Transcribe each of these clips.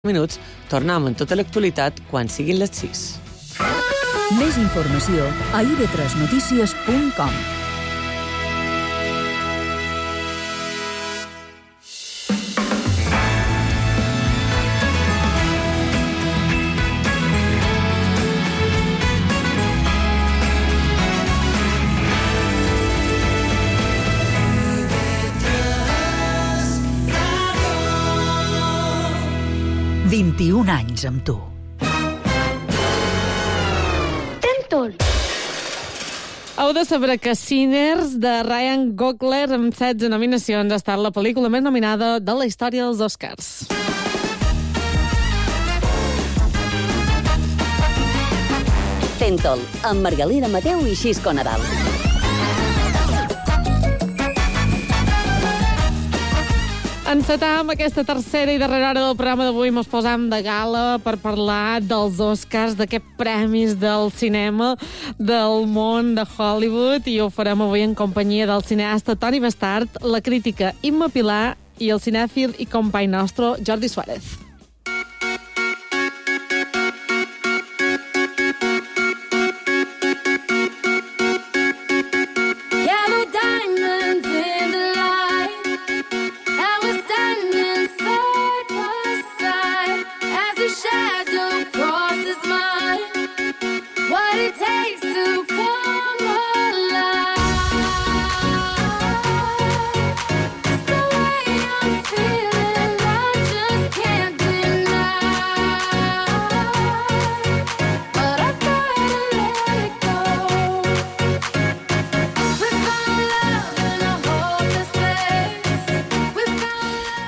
minuts, tornem amb tota l'actualitat quan siguin les 6. Més informació a ib3notícies.com. ...21 anys amb tu. Tentol. Heu de saber que Sinners, de Ryan Coogler, amb 16 nominacions, ha estat la pel·lícula més nominada de la història dels Oscars. Tentol, amb Margalida Mateu i Xisco Nadal. Encetam aquesta tercera i darrera hora del programa d'avui. Mos posam de gala per parlar dels Oscars, d'aquests premis del cinema del món de Hollywood, i ho farem avui en companyia del cineasta Toni Bestart, la crítica Imma Pilar i el cinèfil i company nostre Jordi Suárez.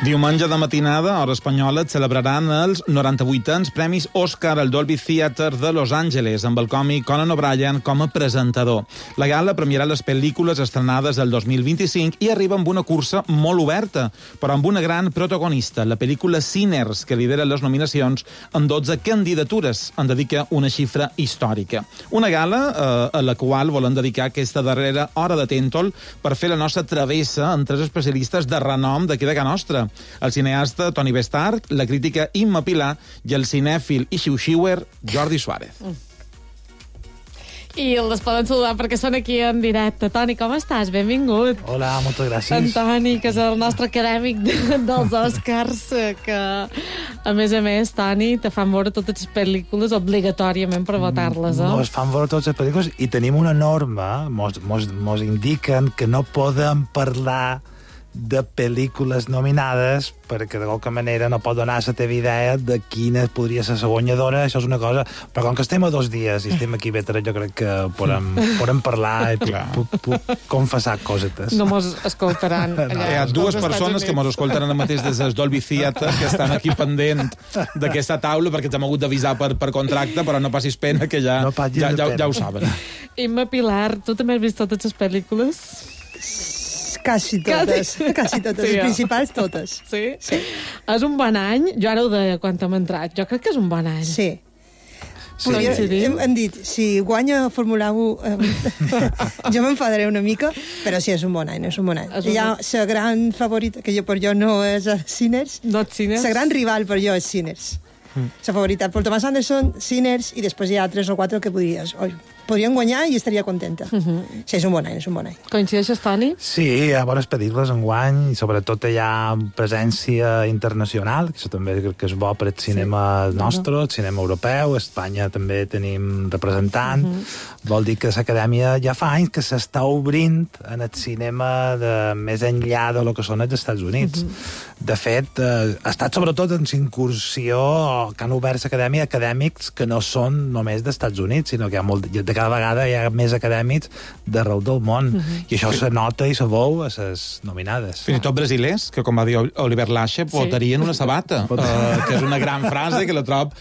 Diumenge de matinada, hora espanyola, et celebraran els 98ans Premis Òscar al Dolby Theatre de Los Angeles, amb el còmic Conan O'Brien com a presentador. La gala premiarà les pel·lícules estrenades el 2025 i arriba amb una cursa molt oberta, però amb una gran protagonista, la pel·lícula Sinners, que lidera les nominacions amb 12 candidatures. En dedica una xifra històrica. Una gala a la qual volem dedicar aquesta darrera hora de Tentol per fer la nostra travessa amb tres especialistes de renom d'aquí de casa nostra. El cineasta Toni Bestart, la crítica Imma Pilar i el cinèfil i xiu-xiuer Jordi Suárez. I els poden saludar perquè són aquí en directe. Toni, com estàs? Benvingut. Hola, moltes gràcies. En Toni, que és el nostre acadèmic dels Oscars, que, a més, Toni, te fan veure totes les pel·lícules obligatòriament per votar-les, eh? Mos fan veure totes les pel·lícules i tenim una norma, mos indiquen que no podem parlar de pel·lícules nominades perquè de qualque manera no pot donar la teva idea de quina podria ser la guanyadora. Això és una cosa, però com que estem a 2 dies i estem aquí vetre, jo crec que podem parlar i puc confessar cosetes. No mos escoltaran. Hi ha 2 persones que mos escolten ara mateix des del Dolby Theatre, que estan aquí pendent d'aquesta taula perquè ens hem hagut d'avisar per contracte, però no passis pena, que ja ho saben. Imma Pilar, tu també has vist totes les pel·lícules? Quasi totes, sí, les principals totes. Sí? Sí. És un bon any? Jo ara ho deia quan hem entrat. Jo crec que és un bon any. Sí. Hem dit, si guanya Fórmula 1, jo m'enfadaré una mica, però sí, és un bon any, és un bon any. Hi ha la gran favorita, que per jo no és Sinners. No és Sinners? La gran rival per jo és Sinners. La favorita. Paul Thomas Anderson, Sinners, i després hi ha 3 o 4 que podrien guanyar i estaria contenta. Sí, és un bon any, és un bon any. Coincideixes, Toni? Sí, hi ha bones pel·lícules enguany, i sobretot hi ha presència internacional, que això també crec que és bo per el cinema nostre, el cinema europeu. A Espanya també tenim representant. Vol dir que l'acadèmia ja fa anys que s'està obrint en el cinema més enllà de lo que són els Estats Units. De fet, ha estat sobretot en incursió que han obert l'acadèmia acadèmics que no són només dels Estats Units, sinó que hi ha de cada vegada hi ha més acadèmics d'arreu del món. I això se nota i se veu a les nominades. Fins i tot brasilers, que com va dir Oliver Lache, votarien una sabata, que és una gran frase que la trob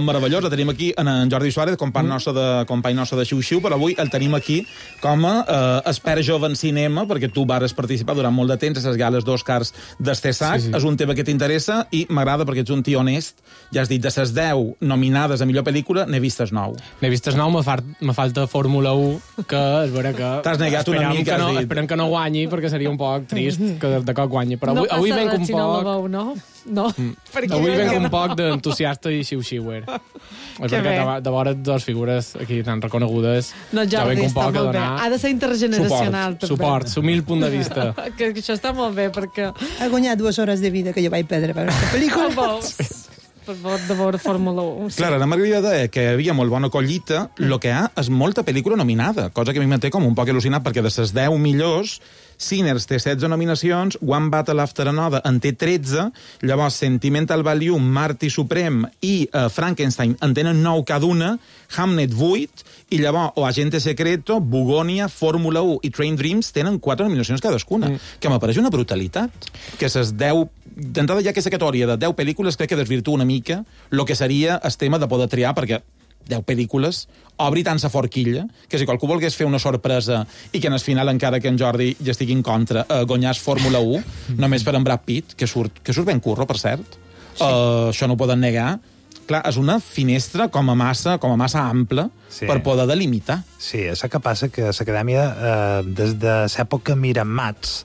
meravellosa. Tenim aquí en Jordi Suárez, company nostre de Xiu-Xiu, però avui el tenim aquí com a expert jove en cinema, perquè tu vares participar durant molt de temps a les gales d'Oscars d'Estessac. És un tema que t'interessa i m'agrada perquè ets un tio honest. Ja has dit, de les 10 nominades a millor pel·lícula, n'he vistes 9. N'he vistes 9, me falta Fórmula 1, que és vera que... T'has negat una mica, has dit. Esperem que no guanyi, perquè seria un poc trist que de cop guanyi. Però avui venc un poc... No la veu, no? No. Avui venc un poc d'entusiasta i xiu-xiuer. És perquè de vora dues figures aquí tan reconegudes... No, Jordi, està molt bé. Ha de ser intergeneracional, també. Suport, humil punt de vista. Que això està molt bé, perquè... Ha guanyat 2 hores de vida que jo vaig perdre per aquesta pel·lícula. Per de veure Fórmula 1. Sí. Clar, ara m'agradaria dir que hi havia molt bona collita, el que hi ha és molta pel·lícula nominada, cosa que a mi m'entén com un poc il·lusionat, perquè de les 10 millors, Sinners té 16 nominacions, One Battle After Another en té 13, llavors Sentimental Value, Marty Supreme i Frankenstein en tenen 9 cada una, Hamnet 8, i llavors O Agente Secreto, Bugonia, Fórmula 1 i Train Dreams tenen 4 nominacions cadascuna, que m'apareix una brutalitat. Que ses 10... D'entrada ja aquesta categoria de 10 pel·lícules crec que desvirtua una mica el que seria el tema de poder triar, perquè 10 pel·lícules obri tant sa forquilla que si qualcú volgués fer una sorpresa i que en el final, encara que en Jordi ja estigui en contra, guanyàs Fórmula 1 només per en Brad Pitt, que surt ben curro, per cert. Sí. Això no ho poden negar. Clar, és una finestra com a massa ampla per poder delimitar. Sí, és que passa que l'Acadèmia, des de l'època Miramax,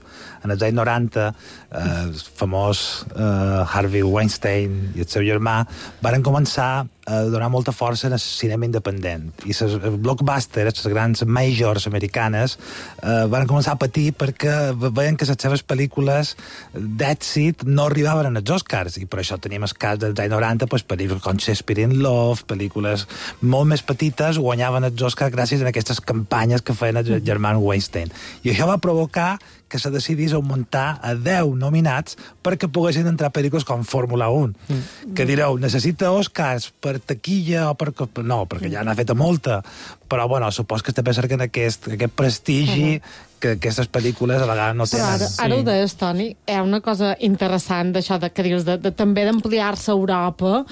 en els anys 90, el famós Harvey Weinstein i el seu germà varen començar a donar molta força al cinema independent. I les blockbusters, les grans majors americanes, varen començar a patir perquè veien que les seves pel·lícules d'èxit no arribaven als Oscars. I per això tenim el cas dels anys 90, pel·lícules com Shakespeare in Love, pel·lícules molt més petites, guanyaven els Oscars gràcies a aquestes campanyes que feien els germans Weinstein. I això va provocar que se decidís augmentar a 10 nominats perquè poguessin entrar pel·lícules com Fórmula 1. Que direu, necessita Oscars per taquilla o per... No, perquè ja n'ha fet molta. Però, bueno, supos que també cerquen aquest prestigi que aquestes pel·lícules a vegades no tenen. Però ara ho deies, Toni, hi ha una cosa interessant d'això que dius, de també d'ampliar-se a Europa,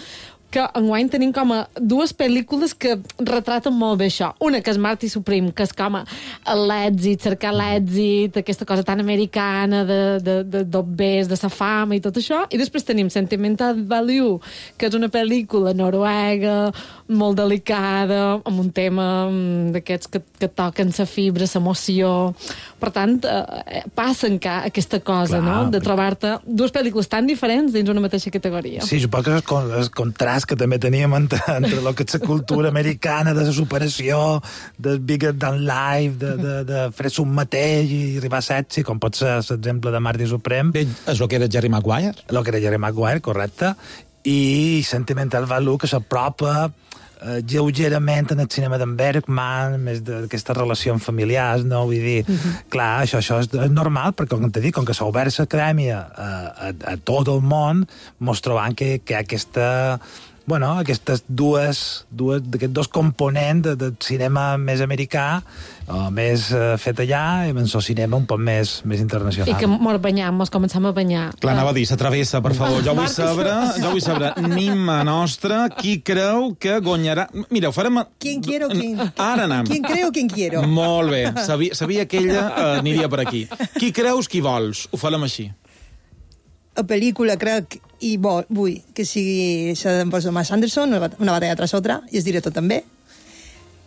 que enguany tenim com a 2 pel·lícules que retraten molt bé això. Una, que és Marty Supreme, que és com l'èxit, cercar l'èxit, aquesta cosa tan americana d'obès, de sa fama i tot això. I després tenim Sentimental Value, que és una pel·lícula noruega, molt delicada, amb un tema d'aquests que toquen sa fibra, s'emoció. Per tant, passa encara aquesta cosa, no?, de trobar-te 2 pel·lícules tan diferents dins una mateixa categoria. Sí, suposo que és el contrast que també teníem entre el que és la cultura americana de la superació, de bigger than life, de fer-se un mateix i arribar a sexy, com pot ser l'exemple de Marty Supreme. És el que era Jerry Maguire. El que era Jerry Maguire, correcte. I Sentimental Value, que s'apropa lleugerament en el cinema d'en Bergman, més d'aquestes relacions familiars, no? Vull dir, clar, això és normal, perquè, com t'he dit, com que s'ha obert l'acadèmia a tot el món, mos trobant que hi ha aquests dos components del cinema més americà, o més fet allà, i en el cinema un poc més internacional. I que mos banyam, mos començam a banyar. Clar, anava a dir, s'atravessa, per favor. Jo vull saber, Nima nostra, qui creu que guanyarà... Mira, ho farem... Quien quiero, quien... Ara anem. Quien creo, quien quiero. Molt bé. Sabia que ella aniria per aquí. Qui creus, qui vols? Ho farem així. La pel·lícula, crec, i vull que sigui la d'en Paul Thomas Anderson, una batalla tras otra, i el director també.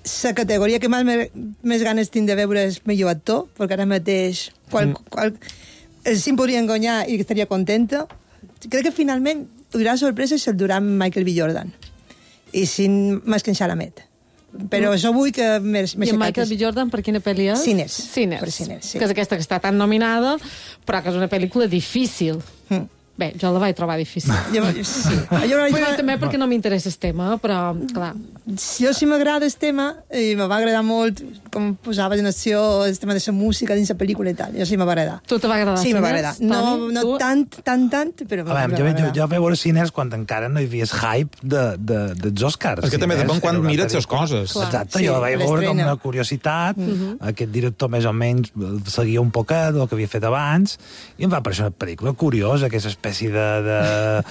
La categoria que més ganes tinc de veure és millor actor, perquè ara mateix sí em podrien guanyar i estaria contenta. Crec que finalment durà sorpresa el durà Michael B. Jordan i sin més que en Chalamet. Però això vull que... I en Michael B. Jordan per quina pel·li és? Sinners. Per Sinners, sí. Que és aquesta que està tan nominada, però que és una pel·lícula difícil. Bé, jo la vaig trobar difícil. Però també perquè no m'interessa el tema, però, clar. Jo sí m'agrada el tema, i me va agradar molt com posaves en acció el tema de la música dins la pel·lícula i tal. Jo sí me va agradar. Tu te va agradar? Sí, me va agradar. No tant, però me va agradar. Jo vaig veure Sinners quan encara no hi havia hype dels Oscars. És que també depèn quan mires les coses. Exacte, jo la vaig veure com una curiositat. Aquest director més o menys seguia un poquet del que havia fet abans, i em va parecer una pel·lícula curiosa, que és espècie de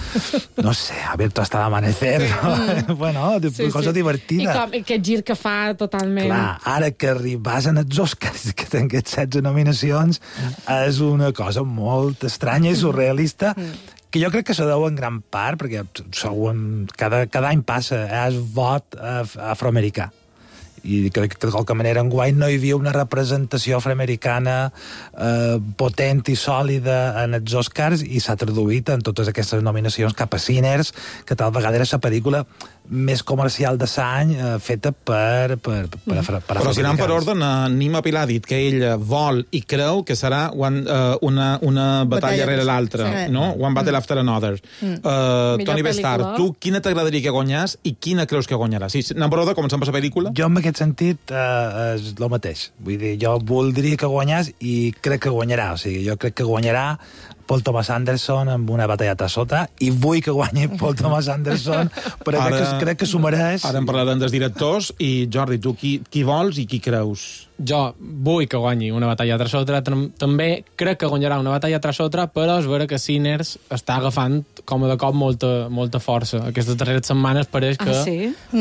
no sé, abierto hasta l'amanecer. Bueno, cosa divertida. I aquest gir que fa totalment. Clar, ara que arribas en els Oscars, que tenen aquests 16 nominacions, és una cosa molt estranya i surrealista, que jo crec que se deu en gran part, perquè cada any passa, és vot afroamericà. i crec que de qualque manera enguany no hi havia una representació afroamericana potent i sòlida en els Oscars, i s'ha traduït en totes aquestes nominacions cap a Sinners, que tal vegada era la pel·lícula més comercial de l'any feta per Però si anem per ordre, Nima Pilar ha dit que ell vol i creu que serà una batalla rere l'altra, no? One battle after another. Toni Bestar, tu quina t'agradaria que guanyàs i quina creus que guanyarà? Si anem per ordre, comencem per la pel·lícula? Jo en aquest sentit és el mateix. Vull dir, jo voldria que guanyàs i crec que guanyarà. O sigui, jo crec que guanyarà Paul Thomas Anderson amb Una batalleta sota, i vull que guanyi Paul Thomas Anderson, però crec que s'ho mereix. Ara en parlarem dels directors, i Jordi, tu qui vols i qui creus? Jo vull que guanyi Una batalla tras otra, també crec que guanyarà Una batalla tras otra, però és vera que Sinners està agafant com de cop molta força. Aquestes darreres setmanes pareix que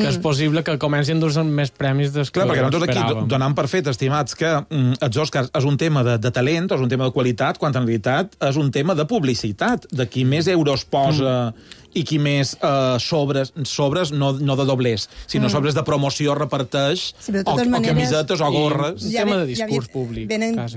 és possible que comencin a dur-se més premis dels que perquè nosaltres esperàvem. aquí donem per fet, estimats, que els Oscars és un tema de talent, és un tema de qualitat, quan en realitat és un tema de publicitat, de qui més euros posa i qui més sobres no de doblers, sinó sobres de promoció reparteix, o camisetes o gorres. Un tema de discurs públic.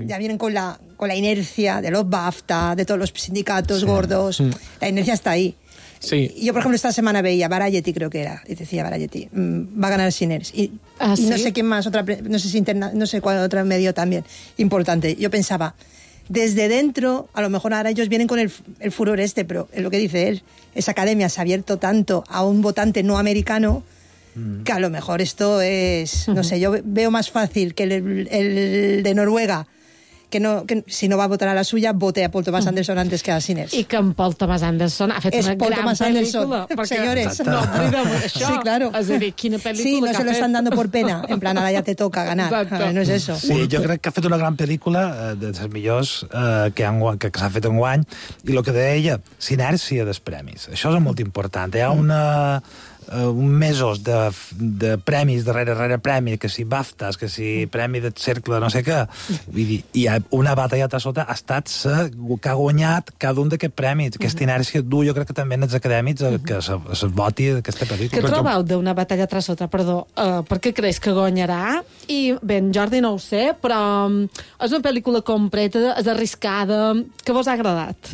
Ya vienen con la inercia de los BAFTA, de todos los sindicatos gordos. La inercia está ahí. Sí. Yo, por ejemplo, esta semana veía Variety, creo que era, y decía Variety, va a ganar Sinners. Y no sé quién más, no sé cuál otro medio también importante. Yo pensaba, desde dentro, a lo mejor ahora ellos vienen con el furor pero es lo que dice él, esa academia se ha abierto tanto a un votante no americano que a lo mejor esto es, no sé, yo veo más fácil que el de Noruega, que si no va a votar a la suya, vote a Paul Thomas Anderson antes que a Sinners. I que en Paul Thomas Anderson ha fet una gran pel·lícula. Señores. No oblidem això. Sí, claro. És a dir, quina pel·lícula sí, no que se lo están dando por pena. En plan, ahora ya te toca ganar. No es eso. Sí, jo crec que ha fet una gran pel·lícula, de les millors que s'ha fet enguany, i el que deia ella, sinèrcia dels premis. Això és molt important. Hi ha mesos de premis darrere premi, que si BAFTAs, que si premi del cercle, no sé què. Vull dir, i Una batalleta sota ha estat que ha guanyat cada un d'aquests premis. Aquesta inèrcia du, jo crec que també en els acadèmics que es voti aquesta pel·lícula. Què trobeu d'Una batalla tras otra? Perdó, per què creus que guanyarà? I bé, en Jordi no ho sé, però és una pel·lícula completa, és arriscada, que vos ha agradat?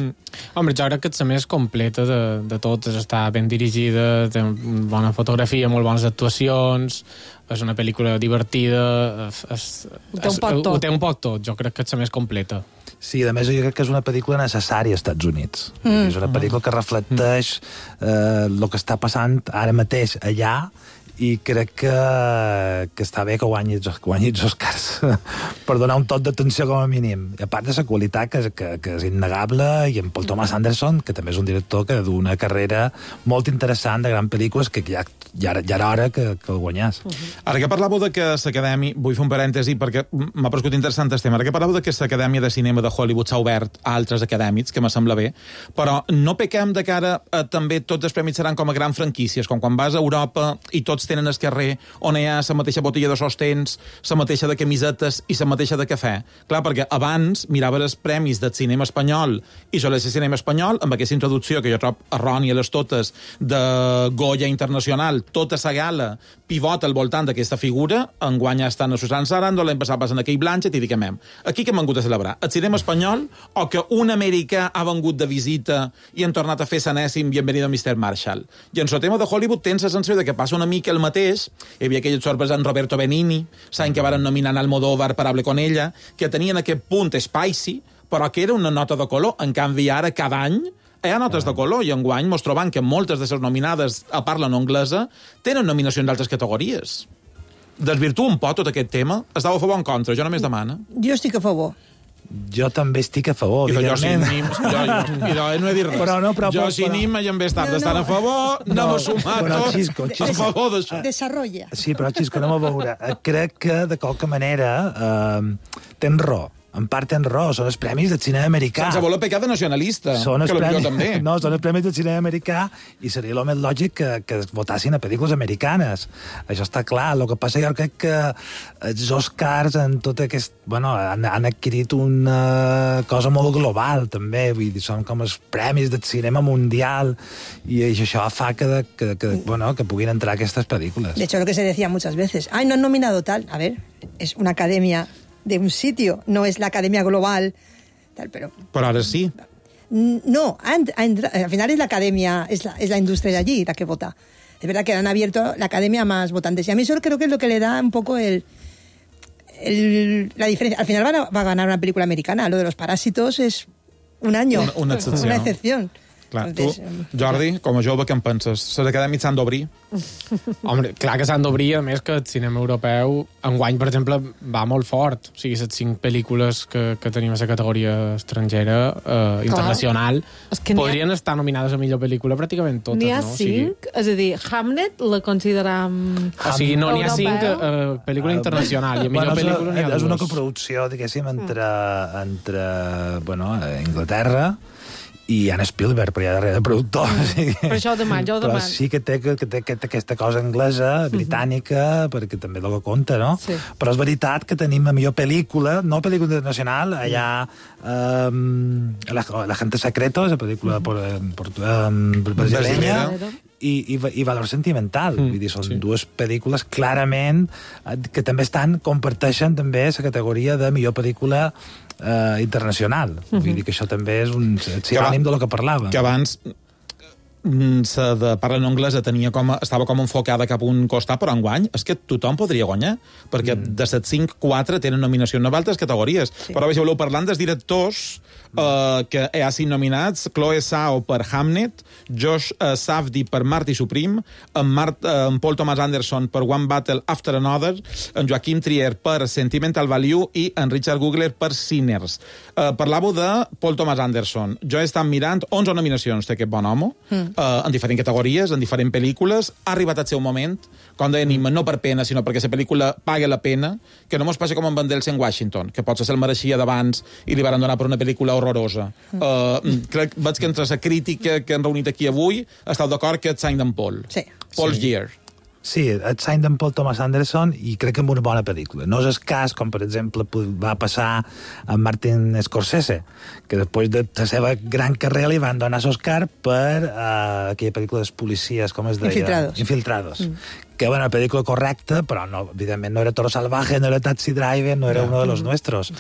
Home, jo crec que és la més completa de totes, està ben dirigida, té bona fotografia, molt bones actuacions, és una pel·lícula divertida, ho té un poc tot, jo crec que és la més completa. Sí, a més jo crec que és una pel·lícula necessària als Estats Units. És una pel·lícula que reflecteix el que està passant ara mateix allà, i crec que està bé que guanyi els Oscars per donar un tot d'atenció com a mínim. I a part de la qualitat que és innegable, i en Paul Thomas Anderson, que també és un director que d'una carrera molt interessant de grans pel·lícules, que ja era hora que el guanyàs. Ara que parlàveu de que l'Acadèmia, vull fer un parèntesi perquè m'ha paregut interessant el tema, ara que parlàveu de que l'Acadèmia de Cinema de Hollywood s'ha obert a altres acadèmics, que me sembla bé, però no pequem de cara a també tots els premis seran com a grans franquícies, com quan vas a Europa i tots tenen el carrer on hi ha la mateixa botella de sostens, la mateixa de camisetes i la mateixa de cafè. Clar, perquè abans mirava els premis del cinema espanyol i sobre el cinema espanyol, amb aquesta introducció que jo trobo errònia les totes de Goya Internacional, tota la gala pivota al voltant d'aquesta figura, enguany estan a Susan Sarandon, l'any passat passen a Kate Blanchett i diguem, aquí que hem vingut a celebrar? El cinema espanyol o que un americà ha vengut de visita i han tornat a fer sanèssim Bienvenido Mr. Marshall? I en el tema de Hollywood tens la sensació de que passa una mica el mateix. Hi havia aquell sorpresa en Roberto Benigni, saben que varen nominar en Almodóvar per Hable con ella, que tenien aquest punt spicy, però que era una nota de color. En canvi, ara, cada any, hi ha notes de color, i enguany mos trobam que moltes de les nominades a parla no anglesa tenen nominacions d'altres categories. Desvirtua un poc tot aquest tema? Estava a favor o en contra? Jo només demano. Jo estic a favor. Jo també estic a favor, evidentment. Jo no he dit res. Jo si Nima i en Bestar estan a favor, anem a sumar tots a favor d'això. Desarrolla. Sí, però, Xisco, anem a veure. Crec que, de qualque manera, tens raó. en part tens raó, són els premis del cinema americà. Sense voler pecar de nacionalista, que potser també. No, són els premis del cinema americà i seria el més lògic que es votassin a pel·lícules americanes. Això està clar. El que passa, jo crec que els Oscars en tot aquest... Bueno, han adquirit una cosa molt global, també. Vull dir, són com els premis del cinema mundial i això fa que puguin entrar aquestes pel·lícules. De hecho, lo que se decía muchas veces, no han nominado tal. A ver, es una academia de un sitio, no es la academia global, tal, pero ahora sí. No, al final es la academia, es la industria de allí la que vota. Es verdad que han abierto la academia a más votantes. Y a mí eso creo que es lo que le da un poco la diferencia. Al final va a ganar una película americana. Lo de los Parásitos es un año. Una excepció. Una excepción. Clar, entonces, tu, Jordi, com a jove, què en penses? Les acadèmies s'han d'obrir? Home, clar que s'han d'obrir, a més que el cinema europeu enguany, per exemple, va molt fort. O sigui, les 5 pel·lícules que tenim a la categoria estrangera, internacional, podrien estar nominades a millor pel·lícula pràcticament totes, N'hi ha no? 5? És a dir, Hamlet la consideram... O sigui, no n'hi ha 5 pel·lícula internacional, i a millor pel·lícula n'hi ha 2. És una coproducció, diguéssim, entre Inglaterra i Anne Spielberg, però hi ha darrere productor. Per això ho demano, Però sí que té aquesta cosa anglesa, britànica, perquè també és el que compta, no? Sí. Però és veritat que tenim a millor pel·lícula, no pel·lícula internacional, allà La gente secreto, la pel·lícula brasileña, i Valor sentimental. Vull dir, són dues pel·lícules clarament que també comparteixen també la categoria de millor pel·lícula internacional. Vull dir que això també és un sinònim de lo que parlàvem. Que abans de parla en anglès estava com enfocada cap a un costat, però enguany és que tothom podria guanyar, perquè de les 5, 4 tenen nominació en altres categories. Però si voleu parlant dels directors que hi ha 5 nominats: Chloe Zhao per Hamnet, Josh Safdie per Marty Supreme, en Paul Thomas Anderson per One Battle After Another, en Joaquim Trier per Sentimental Value i en Richard Gugler per Sinners. Parlàveu de Paul Thomas Anderson. Jo he estat mirant 11 nominacions té aquest bon home, en diferents categories, en diferents pel·lícules. Ha arribat el seu moment, com deia Nima, no per pena, sinó perquè la pel·lícula paga la pena, que no mos passa com en Van Delsen Washington, que potser se'l mereixia d'abans i li van donar per una pel·lícula horrorosa. Veig que entre la crítica que han reunit aquí avui esteu d'acord que és Sign d'en Paul. Sí. Paul's Year. Sí, et Sign d'en Paul Thomas Anderson, i crec que amb una bona pel·lícula. No és el cas, com per exemple va passar amb Martin Scorsese, que després de la seva gran carrera li van donar l'Oscar per aquella pel·lícula dels policies, com es deia? Infiltrados. Que era una pel·lícula correcta, però no, evidentment no era Toro Salvaje, no era Taxi Driver, no era uno de los nuestros.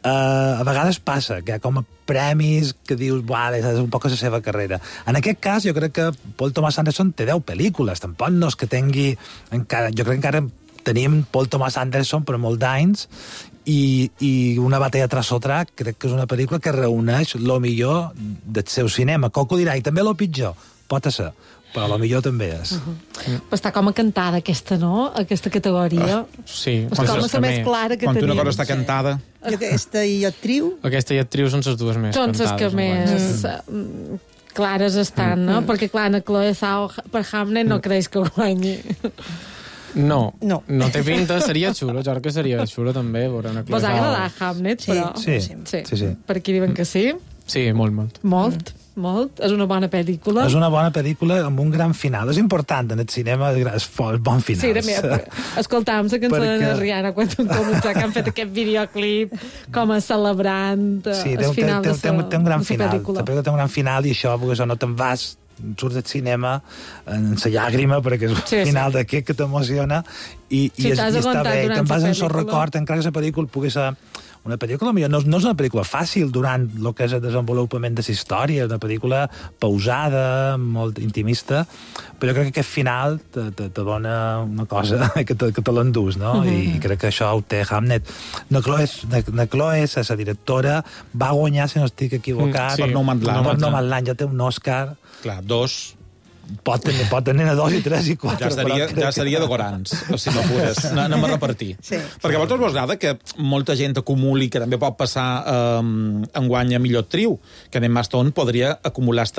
A vegades passa que hi ha com a premis que dius, és un poc la seva carrera. En aquest cas, jo crec que Paul Thomas Anderson té 10 pel·lícules, tampoc no és que tingui encara... Jo crec que encara tenim Paul Thomas Anderson per molt d'anys, i Una batalla tras otra crec que és una pel·lícula que reuneix el millor del seu cinema. Qualcú dirà, i també el pitjor, pot ser, però a lo millor també és. Però està com a cantada aquesta, no? Aquesta categoria. Sí. És com la més clara que tenim. Quan una cosa està cantada... Aquesta i actriu? Aquesta i actriu són les dues més cantades. Són les que més clares estan, no? Perquè, clar, la Chloe Zhao per Hamnet no creix que guanyi. No té pinta, seria xulo, jo crec que seria xulo també veure una Chloe Zhao. Vos ha agradat Hamnet, però... Sí. Per aquí diuen que sí? Sí, molt. Molt. És una bona pel·lícula. És una bona pel·lícula amb un gran final. És important en el cinema, és bon final. Sí, escoltàvem la cançó de Rihanna quan començar, que han fet aquest videoclip com a celebrant el final de la pel·lícula. Té un gran final. Té un gran final i això, perquè no te'n vas, surts del cinema en la llàgrima, perquè és un final d'aquest que t'emociona i està bé. Te'n vas en el record, encara que la pel·lícula pugui ser una pel·lícula, no és una pel·lícula fàcil durant el que és el desenvolupament de la història, és una pel·lícula pausada, molt intimista, però jo crec que aquest final te dona una cosa que te l'endús, no? I crec que això ho té Hamnet. Na Chloe, la directora, va guanyar, si no estic equivocat, per Nomadland, ja té un Òscar. Clar, 2... Pot tenir a 2 i 3 i 4. Ja seria de gorans, si no pures. Anem a repartir. Sí. Perquè a vosaltres vos agrada que molta gent acumuli, que també pot passar enguany a millor actriu, que en Emma Stone podria acumular el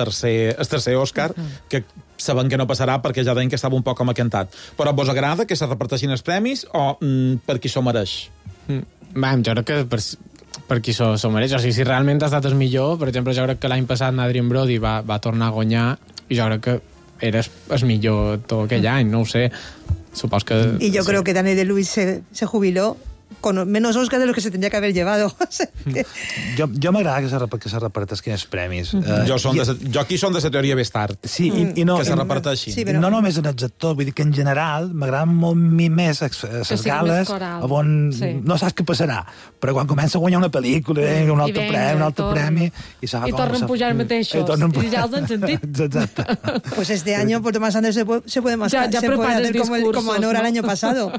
tercer Òscar, que sabem que no passarà perquè ja deien que estava un poc com acantat. Però vos agrada que se reparteixin els premis o per qui s'ho mereix? Jo crec que per qui s'ho mereix. O sigui, si realment ha estat el millor, per exemple, jo crec que l'any passat Adrien Brody va tornar a guanyar i jo crec que era el millor tot aquell any, no ho sé. Supos que... Y yo creo que Daniel Day-Lewis se jubiló con menos Oscar de los que se tendría que haver llevado. Jo m'agrada que se repartessin els premis. Jo aquí som de la teoria més tard. Sí, i no, que se reparteixin. Sí, però... No només en els actors, vull dir que en general m'agraden molt més les gales on no saps què passarà, però quan comença a guanyar una pel·lícula, un altre premi, i tornen a pujar mateixos, i ja els han sentit. Exacte. Pues este año por Tomás Anderson se puede hacer como Anora el año pasado,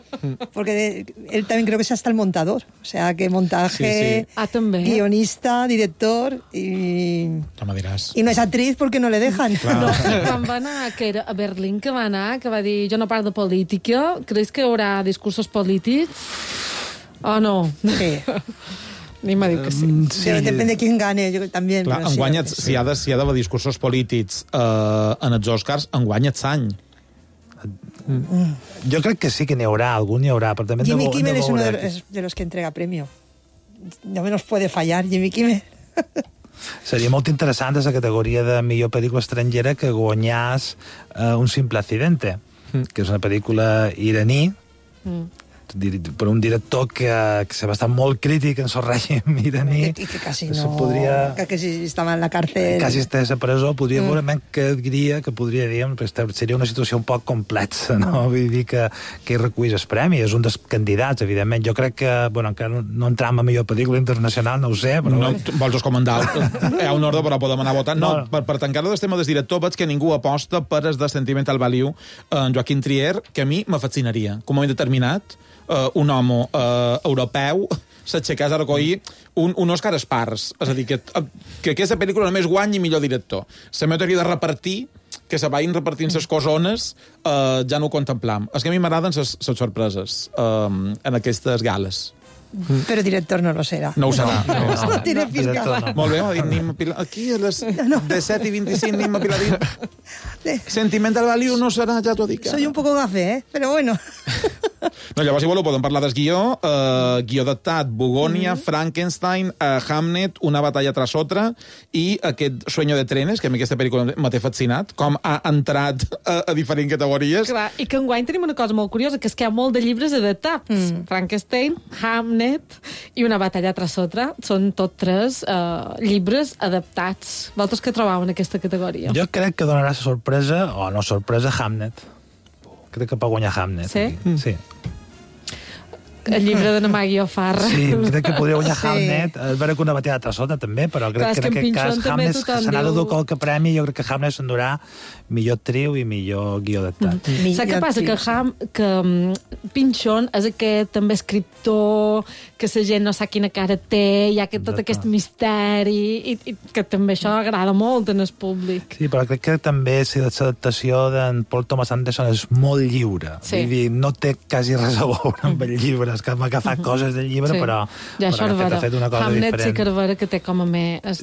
porque él también creo que es hasta el montador, o sea que montaje, guionista, director y no es actriz porque no le dejan. No, quan va anar a Berlín, que va dir jo no parlo de política, creus que hi haurà discursos polítics? O no? Sí. Ni m'ha dit que sí. Depende de quién gane, yo también. Clar, si hi ha d'haver discursos polítics en els Oscars, enguany és any. Jo crec que sí que n'hi haurà, algun n'hi haurà, però també Jimmy Kimmel es uno de los que entrega premio. No menos puede fallar, Jimmy Kimmel. Seria molt interessant a la categoria de millor pel·lícula estrangera que guanyàs Un simple accidente, que és una pel·lícula iraní, per un director que se va estar molt crític en el règim iraní. I que quasi no... Que si estava en la càrcel... Quasi estava a presó, podria veure que diria, que podria dir, seria una situació un poc complexa, no? Vull dir que hi recull el premi, és un dels candidats, evidentment. Jo crec que, bueno, encara no entram a millor pel·lícula internacional, no ho sé, però... No, vols comandar? Hi ha un ordre, però podem anar votant. No, per tancar-lo del tema del director, veig que ningú aposta per el de Sentimental Value en Joaquim Trier, que a mi me fascinaria. Com ho he determinat, un home europeu s'aixecàs a recollir un Òscar espars. És a dir, que aquesta pel·lícula només guanyi millor director. La meva teoria de repartir, que se vagin repartint les cosones, ja no ho contemplam. És que a mi m'agraden les sorpreses en aquestes gales. Però director no lo serà. No ho serà. No tiene fiscal. Molt bé, ha dit Nima Pilar. Aquí a les 17:25 Nima Pilar dit Sentimental Value no serà, ja t'ho dic. Soy un poco gafe, però bueno. No, llavors, si voleu, podem parlar del guió. Guió adaptat, Bogònia, Frankenstein, Hamnet, Una batalla tras otra, i aquest Sueño de trenes, que a mi aquesta pel·lícula m'ha fascinat, com ha entrat a diferents categories. Clar, i que enguany tenim una cosa molt curiosa, que és que hi ha molt de llibres adaptats. Frankenstein, Hamnet i Una batalla tras otra són tots tres llibres adaptats. Vosaltres què trobeu en aquesta categoria? Jo crec que donarà sorpresa, o no sorpresa, Hamnet. Crec que pot guanyar Hamnet. Sí? Sí. El llibre de Maggie O'Farrell. Sí, crec que podria guanyar Hamnet. És vera que Una batalla tras otra també, però crec que en aquest cas Hamnet se n'ha de dur qualque premi. Jo crec que Hamnet s'endurà millor actriu i millor guió adaptat. Saps què passa? Que Pinchon és aquest també escriptor que la gent no sap quina cara té, hi ha tot aquest misteri, i que també això agrada molt en el públic. Sí, però crec que també l'adaptació d'en Paul Thomas Anderson és molt lliure. Vull dir, no té quasi res a veure amb el llibre, és que m'ha agafat coses del llibre, però ha fet una cosa diferent. Hamnet sí que és vera que té com a més...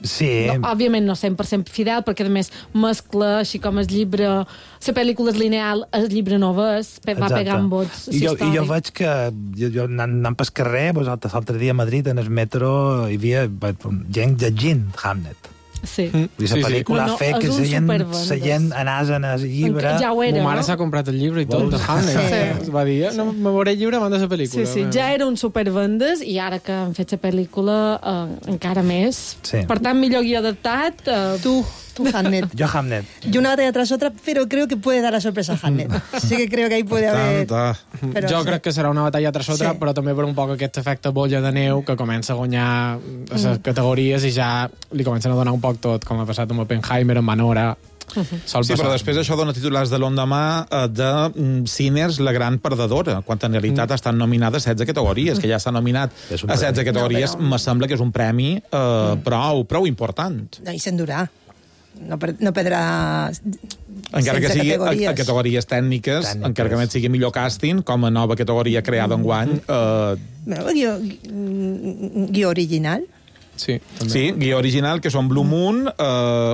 Sí. Òbviament no 100% fidel, perquè a més mescla així com el llibre... La pel·lícula és lineal, el llibre no és, va pegant vots històrics. I jo veig que jo anant pel carrer, l'altre dia a Madrid, en el metro, hi havia gent llegint Hamnet. Sí. I la pel·lícula ha fet que la gent anàs en el llibre... Ja ho era, ma mare s'ha comprat el llibre i tot, de Hamnet. Va dir, no, me veuré el llibre abans de la pel·lícula. Sí, ja era un supervendes, i ara que han fet la pel·lícula encara més. Per tant, millor guió adaptat... Tú, Hamnet. Yo, Hamnet. Y Una batalla tras otra, pero creo que puede dar la sorpresa a Hamnet. Sí que creo que ahí puede haber... Jo crec que serà Una batalla tras otra, però també per un poc aquest efecte bolla de neu que comença a guanyar les categories i ja li comencen a donar un poc tot, com ha passat amb Oppenheimer, amb Anora... Sí, però després això dona titulars de l'endemà de Sinners, la gran perdedora, quan en realitat estan nominades 16 categories, que ja s'ha nominat a 16 categories, me sembla que és un premi prou important. I s'endurà. No perdrà... Encara que sigui a categories tècniques, encara que sigui millor càsting, com a nova categoria creada enguany... Guió original. Sí, també. Sí, guió original, que són Blue Moon,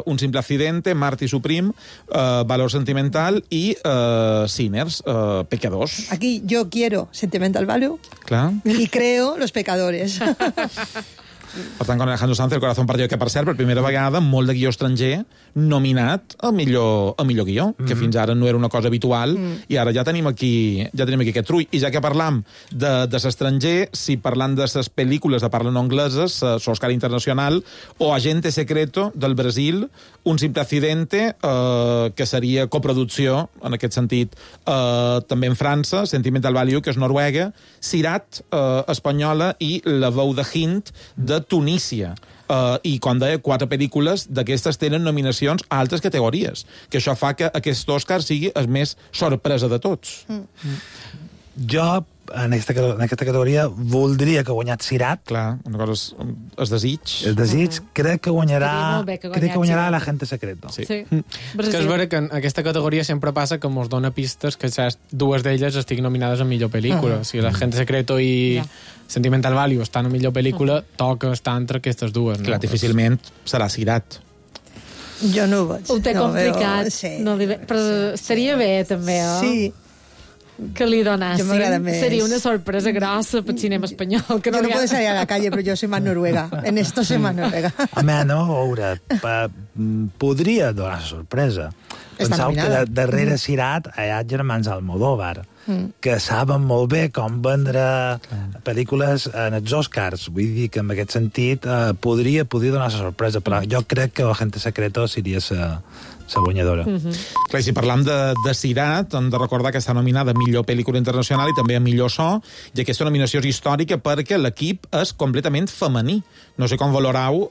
Un simple accidente, Marty Supreme, Valor sentimental i Sinners, Pecadors. Aquí yo quiero Sentimental Value Clar. y creo Los Pecadores. Per tant, con Alejandro Sanz, El corazón partido, que per cert, per primera vegada, molt de guió estranger nominat a millor guió, que fins ara no era una cosa habitual, i ara ja tenim aquí aquest trull. I ja que parlam de l'estranger, si parlant de les pel·lícules de parla no angleses, l'Oscar Internacional, o Agente Secreto, del Brasil, Un simple accidente, que seria coproducció, en aquest sentit, també en França, Sentimental Value, que és Noruega, Sirat, espanyola, i La veu de Hint, de Tunísia. I, com deia, 4 pel·lícules d'aquestes tenen nominacions a altres categories, que això fa que aquest Òscar sigui el més sorpresa de tots. Jo, en aquesta categoria, voldria que guanyat Sirat. Clar, una cosa és desig. El desig, crec que guanyarà Sirat. La gente secreta. Sí. Sí. És que és vera que en aquesta categoria sempre passa que ens dona pistes que dues d'elles estiguin nominades a millor pel·lícula. O sigui, La gente secreto i Sentimental Value estan a millor pel·lícula, toca estar entre aquestes dues. No? Clar, difícilment serà Sirat. Jo no ho veig. Ho té complicat. Sí. No però estaria bé, també, Sí. que li donassin. Jo m'agrada més. Seria una sorpresa grossa pel cinema espanyol. Que Yo no puedo salir a la calle, pero yo soy más noruega. En esto soy más noruega. Home, no, a veure, podria donar sorpresa. Penseu que darrere Sirat hi ha germans Almodóvar, que saben molt bé com vendre pel·lícules en els Oscars. Vull dir que en aquest sentit podria donar sorpresa, però jo crec que La gente secreta seria la guanyadora. Clar, i si parlam de Sirat, hem de recordar que està nominada a millor pel·lícula internacional i també a millor so, i aquesta nominació és històrica perquè l'equip és completament femení. No sé com valorau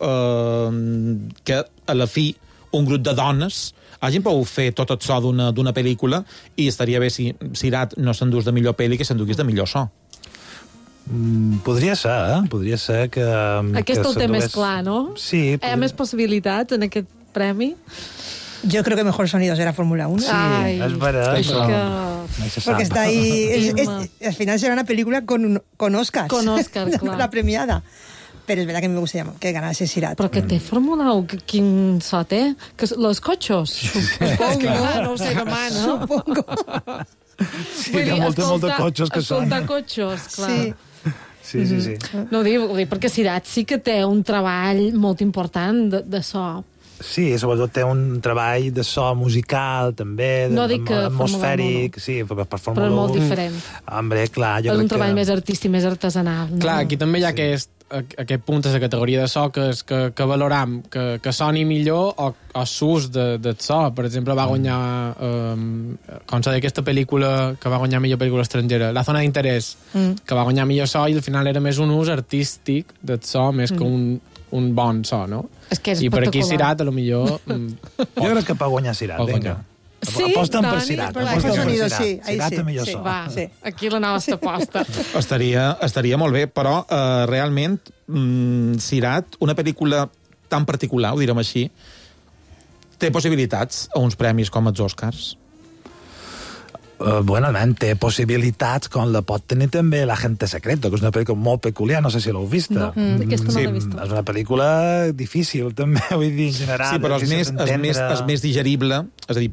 que a la fi un grup de dones hagin pogut fer tot el so d'una pel·lícula, i estaria bé si Sirat no s'endús de millor pel·li que s'endugués de millor so. Podria ser, Podria ser que... Aquest el té més clar, no? Sí. Hi ha més possibilitats en aquest premi? Yo creo que mejor sonido será Fórmula 1. Sí, es verdad. Porque está ahí... al final será una película con Oscars. Con Oscars, claro. La premiada. Pero es verdad que me gustaría que ganase Sirat. Però que té Fórmula 1, quin so té? Los cotxos? Supongo, no ho sé demà, no? Supongo. Sí, hi ha molta cotxos que són. Escoltar cotxos, clar. Sí. No ho dic perquè Sirat sí que té un treball molt important de so. Sí, sobretot té un treball de so musical, també, no dic que atmosfèric, sí, per Fórmula 1. Però molt diferent. Hombre, clar, jo crec que... És un treball més artístic, més artesanal. No? Clar, aquí també hi ha aquest punt de la categoria de so que valoram, que soni millor o s'ús del so. Per exemple, va guanyar, com s'ha dit, aquesta pel·lícula que va guanyar millor pel·lícula estrangera, La zona d'interès, que va guanyar millor so i al final era més un ús artístic del so, més que un bon so, no? És que és i per aquí Sirat, a lo millor... Jo crec que pot guanyar Sirat, vinga. Sí, aposten per Sirat. Sirat té millor so. Va, aquí la nostra aposta. Estaria molt bé, però realment Sirat, una pel·lícula tan particular, ho direm així, té possibilitats a uns premis com els Oscars? Bueno, té possibilitats com la pot tenir també La gente secreta, que és una pel·lícula molt peculiar, no sé si l'heu vista. No, aquesta no l'he vista. És una pel·lícula difícil, també, vull dir, en general. Sí, però és més digerible. És a dir,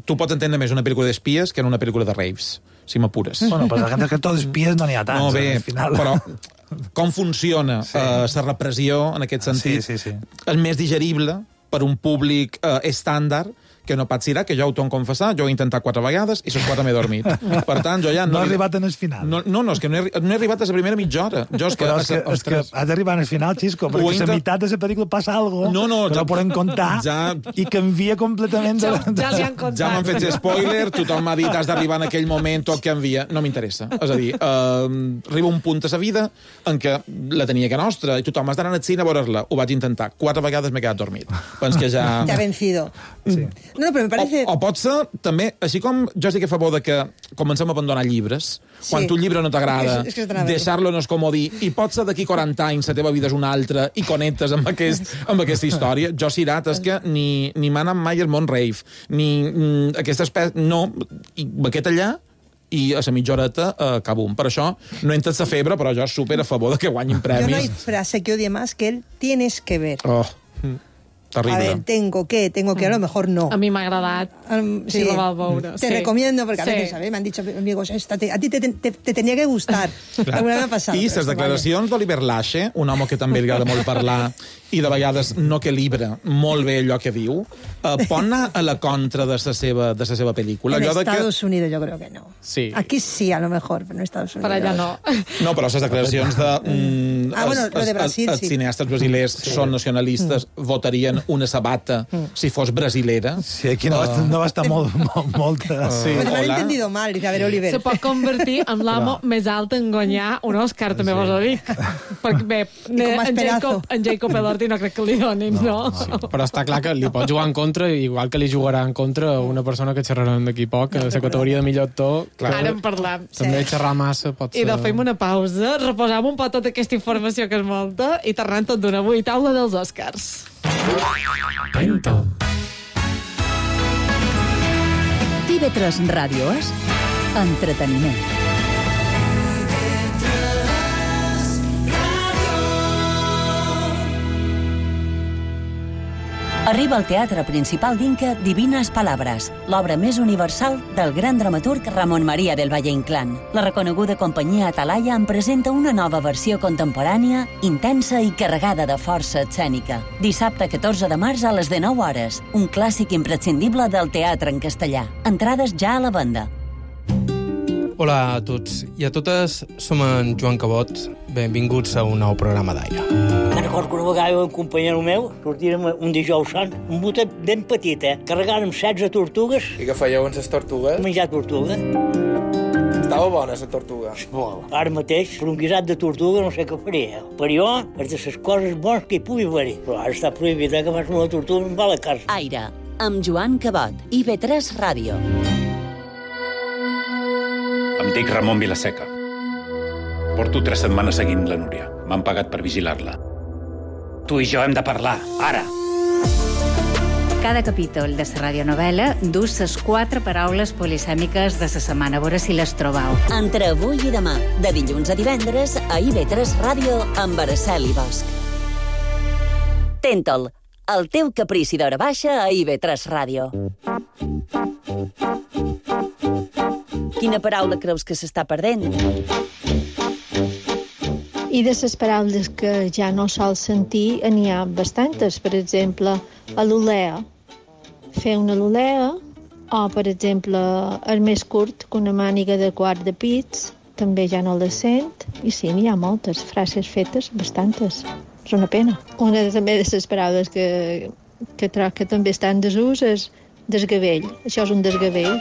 tu pots entendre més una pel·lícula d'espies que en una pel·lícula de raves, si m'apures. Bueno, però La gente secreta d'espies no n'hi ha tants. No, bé, al final. però com funciona la repressió, en aquest sentit, és més digerible per un públic estàndard que no pot Sirat, que jo ho torno a confessar, jo ho he intentat 4 vegades i les 4 m'he dormit. Per tant, jo ja... No he arribat en el final. No, és que no he arribat a la primera mitja hora. És que has d'arribar al final, Xisco, perquè a la meitat de la pel·lícula passa alguna cosa que no podem contar i canvia completament. Ja li han contat. Ja m'han fet spoiler, tothom m'ha dit has d'arribar en aquell moment o que envia. No m'interessa. És a dir, arriba un punt a la vida en què la tenia que nostra i tothom has d'anar al cine a veure-la. Ho vaig intentar. 4 vegades m'he quedat dormit. Pens que ja... Te ha vencido. Sí. No, però me parece... O pot ser, també, així com jo estic a favor de que comencem a abandonar llibres, quan tu un llibre no t'agrada, deixar-lo no és comodí, i pot ser d'aquí 40 anys la teva vida és una altra i connectes amb aquesta història. Jo, Sirat, és que ni m'ha anat mai al món rave, ni aquesta espècie... No, i aquest allà i a la mitja horeta cabum. Per això no entres a febre, però jo super a favor de que guanyin premis. Yo no hay frase que odie más que el tienes que ver. Oh, terrible. A ver, tengo que, a lo mejor no. A mi m'ha agradat. Sí, la va veure. Te recomiendo, porque a veces, ¿sabes? Me han dicho amigos, a ti te tenía que gustar. Alguna vez m'ha passat. I les declaracions d'Oliver Lache, un home que també li agrada molt parlar i de vegades no equilibra molt bé allò que diu, pot anar a la contra de la seva pel·lícula. En Estados Unidos yo creo que no. Sí. Aquí sí, a lo mejor, però en Estados Unidos. Per allà no. No, però les declaracions de... bueno, lo de Brasil, els cineastes brasilers són nacionalistes, votarien una sabata si fos brasilera. Sí, aquí no va estar molta... Sí, Però m'han entendido mal, dice, a ver, Oliver. Se pot convertir en l'amo més alt en guanyar un Òscar, també vos ho dic. Perquè bé, en Jacob Elordi no crec que li donin, no? Sí. Però està clar que li pot jugar en contra, igual que li jugarà en contra una persona que xerrarem d'aquí poc, a la categoria de millor actor. Ara en parlem. També xerrar massa pot ser... I fem una pausa, reposam un poc tota aquesta informació que és molta i tornem tot d'una avui. Taula dels Oscars. TV3 Ràdio és entreteniment. Arriba al Teatre Principal d'Inca Divines Palabras, l'obra més universal del gran dramaturg Ramon María del Valle Inclán. La reconeguda companyia Atalaya en presenta una nova versió contemporània, intensa i carregada de força escènica. Dissabte 14 de març a les 19 hores, un clàssic imprescindible del teatre en castellà. Entrades ja a la venda. Hola a tots i a totes, som en Joan Cabot. Benvinguts a un nou programa d'Aire. Me'n recordo que una vegada un companyero meu sortirem un dijous sant, un botet ben petit, carregàrem 16 tortugues. I què fèieu amb les tortugues? Menjar tortuga. Estava bona, la tortuga. Molt. Ara mateix, per un guisat de tortuga no sé què faria. Per jo, és de les coses bones que hi pugui haver. Però ara està prohibit que fas una tortuga i em va a la casa. Aire, amb Joan Cabot, IB3 Ràdio. Em dic Ramon Vilaseca. Porto 3 setmanes seguint la Núria. M'han pagat per vigilar-la. Tu i jo hem de parlar, ara. Cada capítol de la radionovela du les 4 paraules polisèmiques de la setmana. A veure si les trobau. Entre avui i demà, de dilluns a divendres, a IB3 Ràdio amb Araceli Bosch. Tentol, el teu caprici d'hora baixa a IB3 Ràdio. Quina paraula creus que s'està perdent? I de les paraules que ja no sol sentir n'hi ha bastantes. Per exemple, alulea. Fer una alulea, o, per exemple, el més curt que una màniga de quart de pits, també ja no la sent. I sí, n'hi ha moltes frases fetes, bastantes. És una pena. Una també de les paraules que troc que també està en desús és desgavell. Això és un desgavell.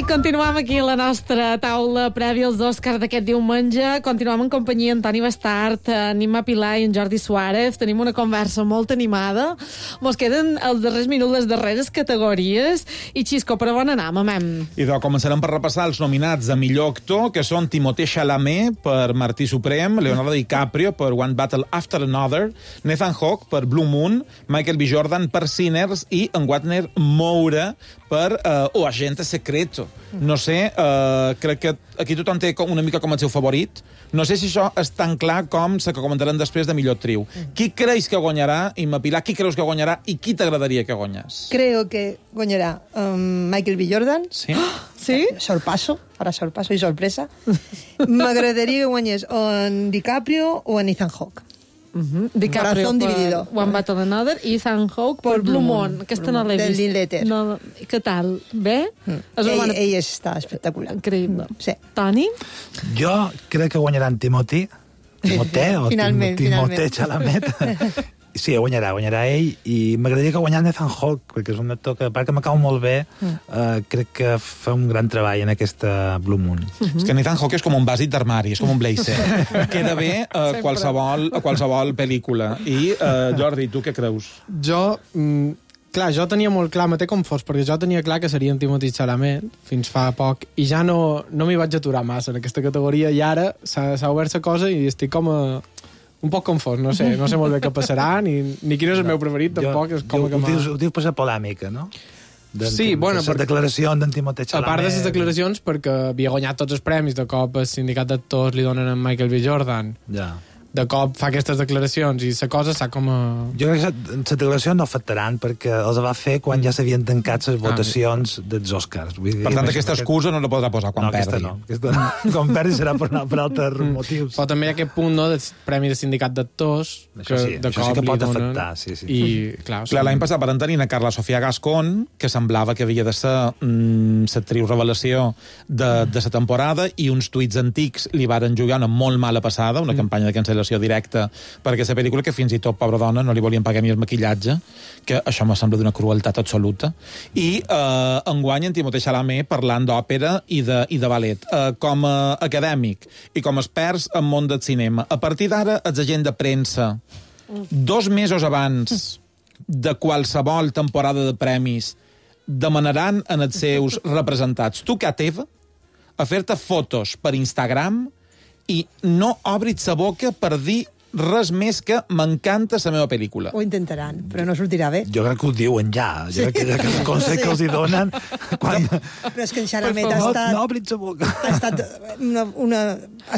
Continuem aquí a la nostra taula prèvia als Oscars d'aquest diumenge. Continuem en companyia Antoni Bastart, Nima Pilar i en Jordi Suárez. Tenim una conversa molt animada. Mos queden els darrers minuts, les darreres categories. I Xisco, per on anem, amem? I començarem per repassar els nominats a millor actor, que són Timothée Chalamet per Martí Suprem, Leonardo DiCaprio per One Battle After Another, Nathan Hawke per Blue Moon, Michael B. Jordan per Sinners i en Wagner Moura per O Agente Secreto. No sé, crec que aquí tothom té una mica com el seu favorit. No sé si això és tan clar com la que comentaran després de millor actriu. Qui creus que guanyarà, Imma Pilar? Qui creus que guanyarà i qui t'agradaria que guanyés? Creo que guanyarà Michael B. Jordan. Sí? Sí? Sorpasso i sorpresa. M'agradaria que guanyés o en DiCaprio o en Ethan Hawke. DiCaprio Corazón dividido. One Battle Another i Ethan Hawke per Blue Moon. Aquesta no l'he vist. Del Linklater. No, què tal? Bé? Ell està espectacular. Increïble. Sí. Toni? Jo crec que guanyaran Timothée Chalamet Sí, guanyarà ell, i m'agradaria que guanyés Ethan Hawke, perquè és un actor que, a part que me cau molt bé, crec que fa un gran treball en aquesta Blue Moon. És que Ethan Hawke és com un bàsic d'armari, és com un blazer. Queda bé a qualsevol pel·lícula. I, Jordi, tu què creus? Jo tenia molt clar, me té com fos, perquè jo tenia clar que seria en Timothée Chalamet fins fa poc, i ja no m'hi vaig aturar massa en aquesta categoria, i ara s'ha obert la cosa i estic com un poc confós, no sé molt bé què passarà, ni quin és el meu preferit, tampoc. Ho dius per la polèmica, no? Sí, bueno... Les declaracions d'en Timothée Chalamet... A part de les declaracions, perquè havia guanyat tots els premis, de cop el sindicat d'actors li donen a Michael B. Jordan. Ja. De cop fa aquestes declaracions i la cosa s'ha com a... Jo crec que les declaracions no afectaran perquè els va fer quan ja s'havien tancat les votacions dels Oscars. Per tant, aquesta excusa no la podrà posar quan perdi. Quan perdi serà per altres motius. Però també hi ha aquest punt, no?, del Premi de Sindicat d'Actors, que de cop que pot li donen... afectar, sí. I, clar, l'any passat van tenir a Carla Sofia Gascón, que semblava que havia de ser l'actriu revelació de la temporada, i uns tuits antics li varen jugar una molt mala passada, una campanya de cancel·lació directa per aquesta pel·lícula, que fins i tot, pobra dona, no li volien pagar ni el maquillatge, que això me sembla d'una crueltat absoluta. I enguany en Timothée Chalamet parlant d'òpera i de ballet. Com a acadèmic i com a experts en món del cinema, a partir d'ara, els agents de premsa, 2 mesos abans de qualsevol temporada de premis, demanaran en els seus representats tu que teva a fer-te fotos per Instagram i no obris la boca per dir res més que m'encanta la meva pel·lícula. Ho intentaran, però no sortirà bé. Jo crec que ho diuen ja. Jo crec que el consell que els hi donen... Però és que en Chalamet ha estat... No obris la boca. Ha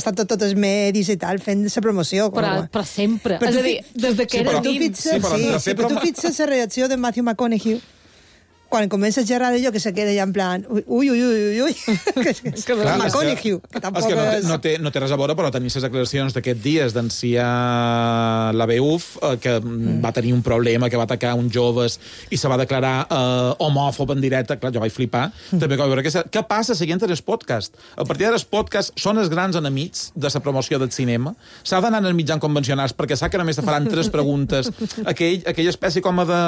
estat tots els medis i tal, fent la promoció. Però sempre. És a dir, des que era dins. Però tu fixes la reacció de Matthew McConaughey quan comença a xerrar d'allò, que se queda ja en plan ui. McConaughey, que tampoc és... No té res a veure, però tenir les declaracions d'aquests dies d'enciar la BUF, que va tenir un problema, que va atacar uns joves i se va declarar homòfob en directe. Clar, jo vaig flipar. També que veure què passa seguint els podcasts. A partir d'ara els podcasts són els grans enemics de la promoció del cinema. S'ha d'anar als mitjans convencionals perquè sap que només te faran 3 preguntes. Aquella espècie com de...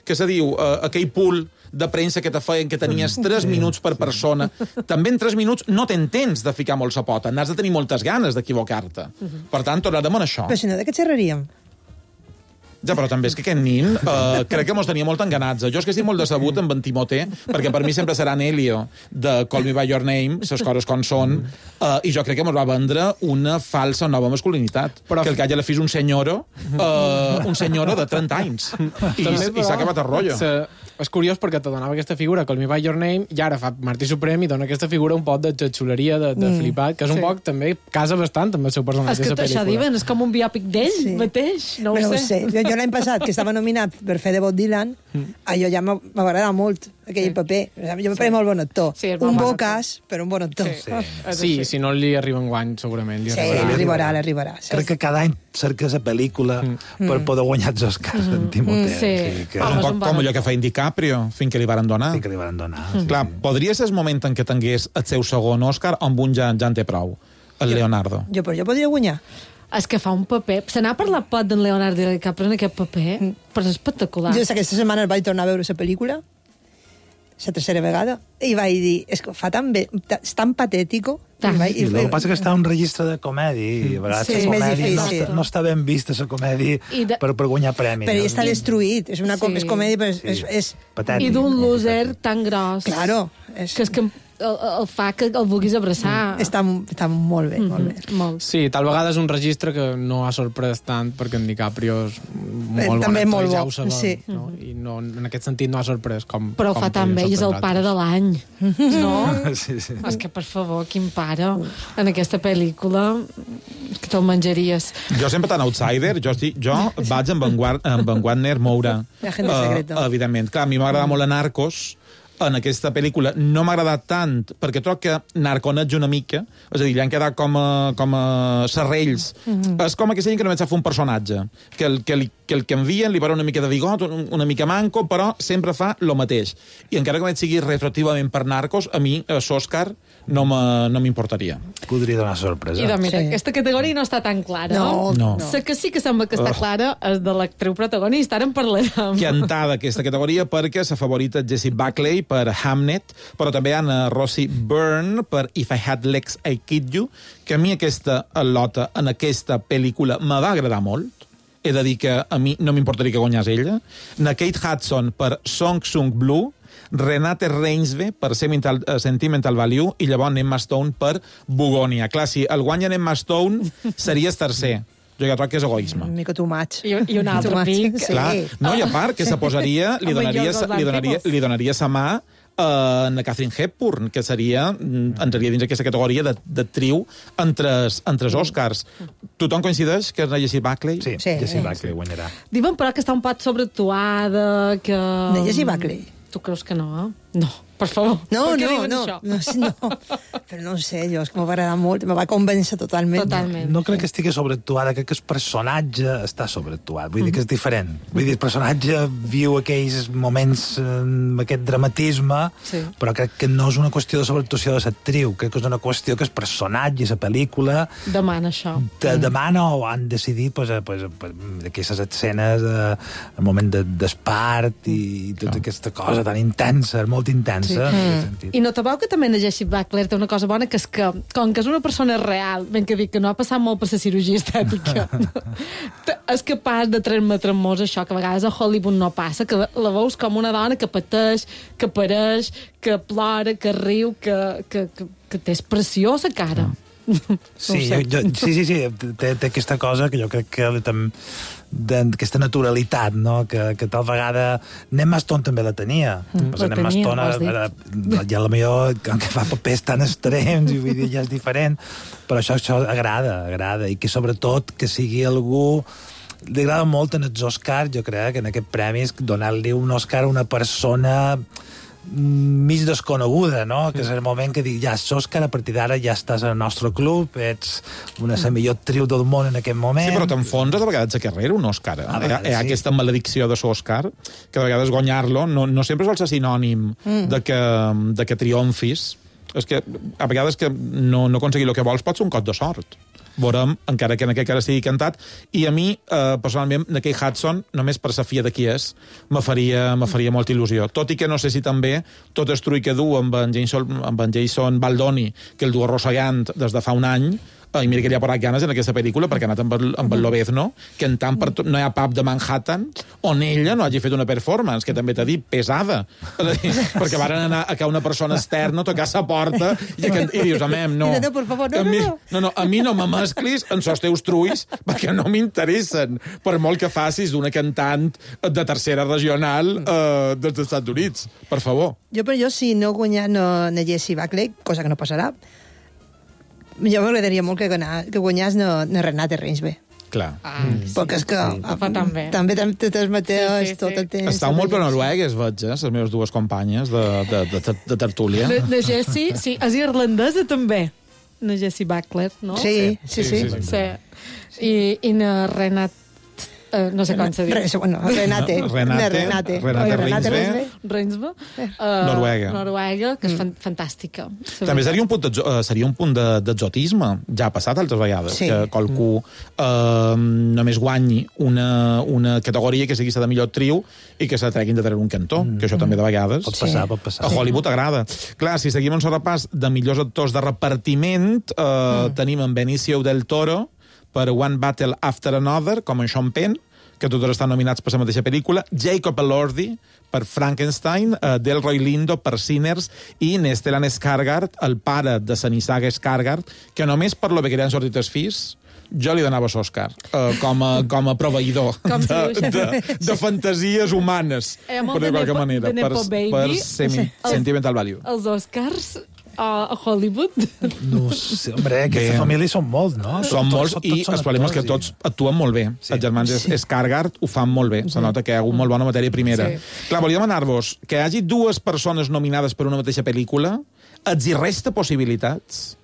què se diu? Aquell pool de premsa que te feien, que tenies 3 minuts per persona. També en 3 minuts no t'entens de ficar molt sa pota, n'has de tenir moltes ganes d'equivocar-te. Per tant, tornarem en això. Però si no, de què xerraríem? Ja, però també és que aquest nin crec que mos tenia molt enganats. Jo és que estic molt decebut amb en Timothée, perquè per mi sempre serà Elio de Call Me By Your Name, ses coses com són, i jo crec que mos va vendre una falsa nova masculinitat. Però... que el que hagi a la fi és un senyoro de 30 anys. I s'ha acabat el rotllo. És curiós perquè te donava aquesta figura, Call Me By Your Name, i ara fa Martí Suprem i dona aquesta figura un poc de xuleria, de flipat, que és un poc també casa bastant amb el seu personatge. És que això diuen, és com un biòpic d'ell mateix, no ho sé. Jo l'any passat, que estava nominat per fer de Bob Dylan, allò ja m'agrada molt, aquell paper. Jo me pareix molt bon actor. Un bocàs, però un bon actor. Sí, si no li arriba enguany, segurament li arribarà. Sí, li arribarà. Crec que cada any cerca la pel·lícula per poder guanyar els Oscars en Timothée. Un poc com allò que fa DiCaprio, fins que li varen donar. Clar, podria ser el moment en què tingués el seu segon Òscar, amb un ja en té prou, el Leonardo. Jo podria guanyar. És que fa un paper... Se n'ha parlat pot d'en Leonardo DiCaprio en aquest paper, però és espectacular. Jo aquesta setmana vaig tornar a veure la pel·lícula, la tercera vegada, i vaig dir, és que fa tan bé, és tan patètico. I el que passa que està en un registre de comèdia, i a vegades la comèdia no està ben vista, la comèdia, per guanyar premis. Però està destruït, és comèdia, però és patètic. I d'un loser tan gros. Claro. Que és que el fa que el vulguis abraçar. Està molt bé, molt bé. Sí, tal vegada és un registre que no ha sorprès tant, perquè en DiCaprio és molt també bon molt actor, ja bo. ho sabem, no? I no, en aquest sentit no ha sorprès com... Però ho fa tan bé, i és el pare de l'any, no? Sí. És que, per favor, quin pare en aquesta pel·lícula que te'l menjaries. Jo sempre tan outsider, jo vaig amb en Wagner Moura. La gente secreta. Evidentment. Clar, a mi m'agrada molt a Narcos, en aquesta pel·lícula no m'ha agradat tant, perquè trobo que narconets una mica, és a dir, li han quedat com a serrells. És com aquella gent que només sap fer un personatge, que el que envien li para una mica de bigot, una mica manco, però sempre fa lo mateix. I encara que sigui retroactivament per Narcos, a mi, l'Òscar, no m'importaria. Podria donar sorpresa. I doncs mira, aquesta categoria no està tan clara. No. La que sí que sembla que està clara és de l'actriu protagonista, ara en parlarem. Cantada aquesta categoria perquè la favorita és Jessie Buckley per Hamnet, però també hi ha Rosie Byrne per If I Had Legs I Kid You, que a mi aquesta al·lota en aquesta pel·lícula me va agradar molt. He de dir que a mi no m'importaria que guanyés ella. Na Kate Hudson per Song Sung Blue, Renate Reinsve per Sentimental Value i llavors Emma Stone per Bugonia. Clar, si el guanya Emma Stone series tercer. Jo ja trobo que és egoisme. Una mica too much. I un altre pic. Clar, no, i a part que se posaria, li donaria sa mà a Catherine Hepburn, que entraria dins aquesta categoria d'actriu entre els Oscars. Tothom coincideix que és la Jessie Buckley? Sí, Jessie Buckley guanyarà. Diuen, però, que està un pot sobreactuada, que... De Jessie Buckley? Tu creus que no, No, per favor. No. No. Però no ho sé, jo, és que m'ho va agradar molt, me va convèncer totalment. No crec que estigui sobreactuada, crec que el personatge està sobreactuat, vull dir que és diferent. Vull dir, el personatge viu aquells moments amb aquest dramatisme, però crec que no és una qüestió de sobreactuació de l'actriu, crec que és una qüestió que el personatge, la pel·lícula... Demana això. Demana o han decidit d'aquestes escenes, el moment d'espart i tota aquesta cosa tan intensa, molt intensa. I no te veu que també la Jessie Buckley té una cosa bona, que és que, com que és una persona real, ben que dic que no ha passat molt per la cirurgia estètica, és capaç de transmetre-nos això, que a vegades a Hollywood no passa, que la veus com una dona que pateix, que pareix, que plora, que riu, que té expressió a la cara. Sí, té aquesta cosa que jo crec que d'aquesta naturalitat, no? Que tal vegada Emma Stone també la tenia. Emma Stone ja la millor que fa papers tan extrems i vull dir, ja és diferent, però això agrada i que sobretot que sigui algú... Li agrada molt en els Oscars, jo crec, en aquest premi, donar-li un Oscar a una persona mig desconeguda, no? Que és el moment que dic, ja, Òscar, a partir d'ara ja estàs al nostre club, ets la millor actriu del món en aquest moment. Sí, però t'enfonses de vegades a carrera un Òscar. Hi ha aquesta maledicció de l'Òscar, que de vegades guanyar-lo no sempre sol ser sinònim de que triomfis. És que a vegades que no aconseguir el que vols pot ser un cop de sort. Veurem, encara que en aquest cas estigui cantat. I a mi, personalment, de Kate Hudson, només per sa filla de qui és, me faria molta il·lusió. Tot i que no sé si també tot el trull que du amb en Jason Baldoni, que el du arrossegant des de fa un any, i mira que li ha posat ganes en aquesta pel·lícula, perquè ha anat amb el Lobezno, que en tant no hi ha pub de Manhattan on ella no hagi fet una performance, que també t'ha dit pesada. Perquè varen anar a que una persona externa tocar sa porta i dius, amem, no. Por favor, no, a mi no me mesclis en els teus trulls, perquè no m'interessen, per molt que facis d'una cantant de tercera regional dels Estats Units. Per favor. Jo si no guanyar na Jessie Buckley, cosa que no passarà, jo m'agradaria molt que guanyés na Renate Reinsve. Clar. Perquè és que també té els mateixos tot el temps. Estàu molt per noruegues, veig, les meves dues companyes de tertúlia. La Jessie, sí, és irlandesa també. Na Jessie Buckley, no? Sí. I na Renate... no sé com s'ha dit. Renate Reinsve. Noruega, que és fantàstica. També seria un punt d'exotisme. Ja ha passat altres vegades, que qualcú només guanyi una categoria que sigui la de millor actriu i que se treguin de treure un cantó, que això també de vegades pot passar. A Hollywood agrada. Clar, si seguim un repàs de millors actors de repartiment, tenim en Benicio del Toro per One Battle After Another, com en Sean Penn, que tots estan nominats per la mateixa pel·lícula, Jacob Elordi per Frankenstein, Delroy Lindo per Sinners i Stellan Skarsgård, el pare de Sanisaga Skarsgård, que només per lo que han sortit els fills jo li donava l'Òscar com a proveïdor de fantasies humanes, per de qualque manera, per Sentimental Value. Els Oscars a Hollywood? No sé, hombre, aquesta família són molts, no? Són molts i el problema és que tots actuen molt bé. Sí. Els germans Skarsgård ho fan molt bé. Se nota que hi ha hagut molt bona matèria primera. Sí. Clar, volia demanar-vos que hi hagi dues persones nominades per una mateixa pel·lícula, els hi resta possibilitats?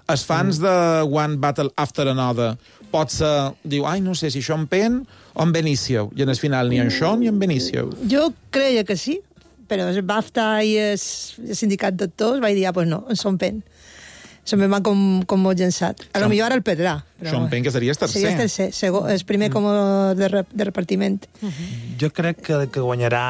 Els fans de One Battle After Another potser diu, ai, no sé si això en Penn o en Benicio. I en el final ni en Sean ni en Benicio. Jo creia que sí, però el BAFTA i el sindicat d'actors vaig dir, pues no, en Sean Penn. Sean Penn va com molt llençat. A lo millor ara el perdrà. Sean Penn, que seria el tercer. Seria el tercer, el primer com de repartiment. Jo crec que guanyarà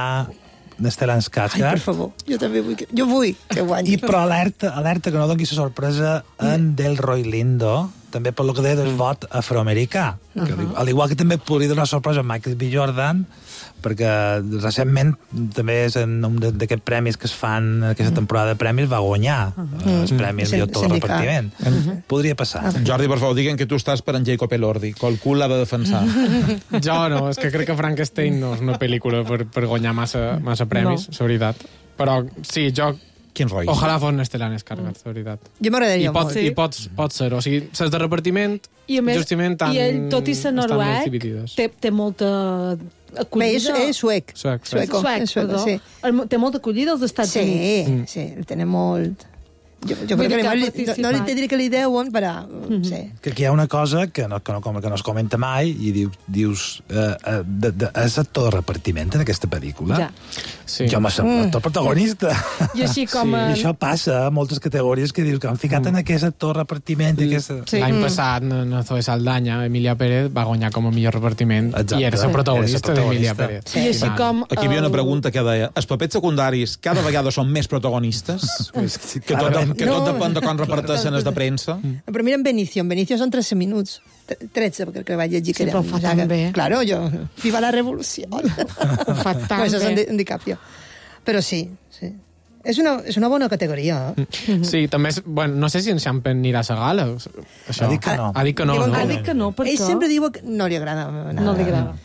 Stellan Skarsgård. Ai, per favor, jo també vull que guanyi. Però alerta que no doni la sorpresa en Delroy Lindo, també per lo que deia del vot afroamericà. Al igual que també podria donar sorpresa a Michael B. Jordan, perquè recentment també és en un d'aquests premis que es fan aquesta temporada de premis va guanyar els premis de tot el repartiment. Podria passar. Jordi, per favor, diguen que tu estàs per en Jacob Elordi. Qualcú l'ha de defensar. Jo no, és que crec que Frankenstein no és una pel·lícula per guanyar massa premis, és veritat. Però sí, jo... Quin rotllo. Ojalà fos Stellan Skarsgård, de veritat. Jo m'agradaria molt. I pot ser. O sigui, ses de repartiment, justament, i ell, tot i ser noruec, té molta acollida. És suec. Suec, perdó. Sí. Té molta acollida als Estats Units. Sí, el tenen molt... Jo crec que no li diré que li deuen, però... Que aquí hi ha una cosa que no es comenta mai i dius és actor de repartiment en aquesta pel·lícula. Jo m'ha semblat actor protagonista. I així com... I això passa a moltes categories que dius que han ficat en aquest actor de repartiment. L'any passat, no Zoe Saldana, Emilia Pérez va guanyar com a millor repartiment i era la protagonista d'Emilia Pérez. I així com... Aquí hi havia una pregunta que deia, els papers secundaris cada vegada són més protagonistes? Que tot depèn de com reparteixen els de premsa. Però mira en Benicio són 13 minuts. 13, perquè crec que vaig llegir que era... Sí, però ho fa tan bé. Claro, jo... Viva la revolució. Ho fa tan bé. Això és en DiCaprio. Però sí. És una bona categoria. Sí, també és... Bueno, no sé si en Sean Penn anirà a la gala. Ha dit que no. Ha dit que no, Ha dit que no, perquè... Ell sempre diu que no li agrada. No li agrada.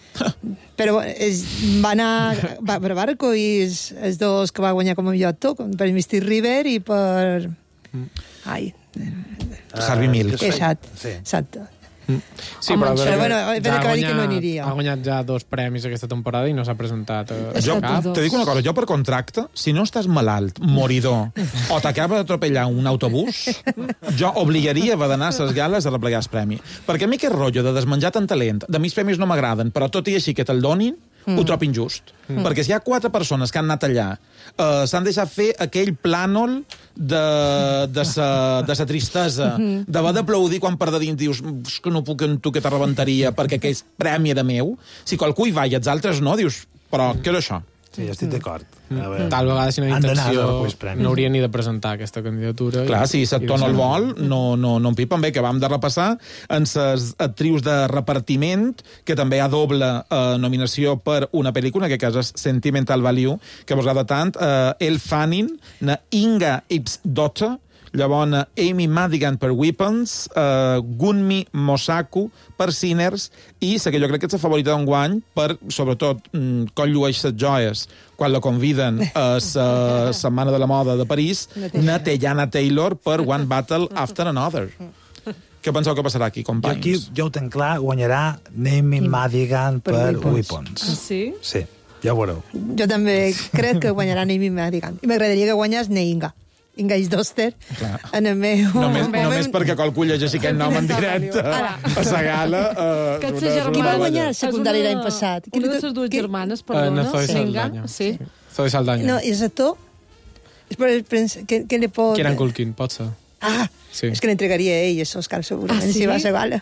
Però va anar per Barco i els dos que va guanyar com a millor actor, per Mystic River i per... Harvey Milk. Exacte. Sí, però bueno, ha guanyat ja 2 premis aquesta temporada i no s'ha presentat jo te dic una cosa, jo per contracte, si no estàs malalt, moridor, o t'acaba d'atropellar un autobús, jo obligaria d'anar a les gales a replegar el premi. Perquè a mi aquest rotllo de desmenjar tant talent, de mi els premis no m'agraden, però tot i així que te'l donin, ho trobo injust. Perquè si hi ha 4 persones que han anat allà, s'han deixat fer aquell plànol de sa tristesa, d'haver d'aplaudir quan per de dins dius que no puc amb tu que te rebentaria perquè aquest premi era meu. Si qualcú hi va i els altres no, dius, però què era això? Sí, estic d'acord. Tal vegada, si no hi ha intenció, no hauria ni de presentar aquesta candidatura. Clar, si l'actor no el vol, no en pipen. Bé, que vam de repassar en les actrius de repartiment, que també hi ha doble nominació per una pel·lícula, que és Sentimental Value, que vos agrada tant, Elle Fanning, Inga Ipsdotter, llavors Amy Madigan per Weapons, Gunmi Mosaku per Sinners, i la que jo crec que és la favorita d'enguany per, sobretot, com llueix les joies quan la conviden a la Setmana de la Moda de París, Teyana Taylor per One Battle After Another. Què penseu que passarà aquí, companys? Jo ho tenc clar, guanyarà Amy Madigan per Weapons. Sí? Sí, ja ho veureu. Jo també crec que guanyarà Amy Madigan. I m'agradaria que guanyés Inga Ipsdotter en el meu... Només perquè qualcú llegeixi aquest nom en directe a la gala. Qui va guanyar el secundari l'any passat? Una de les dues germanes, perdona. Zoe Saldana. Sí. Zoe Saldana. No, i és actor? Què li pot... Kieran Culkin, pot ser. És que l'entregaria ell, els Oscars, segurament, si va a la gala.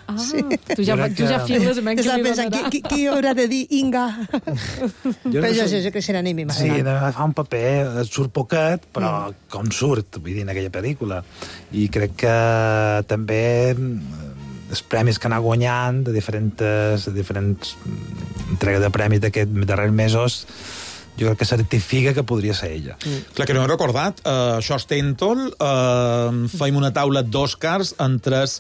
Tu ja files amb que li donarà. Qui haurà de dir Inga? Però jo sé que serà Amy Madigan. Sí, fa un paper, surt poquet, però com surt, vull dir, en aquella pel·lícula. I crec que també els premis que anà guanyant de diferents entregues de premis d'aquests darrers mesos jo crec que certifica que podria ser ella. Clar, que no he recordat, això Stentol, feim una taula d'Oscars amb 3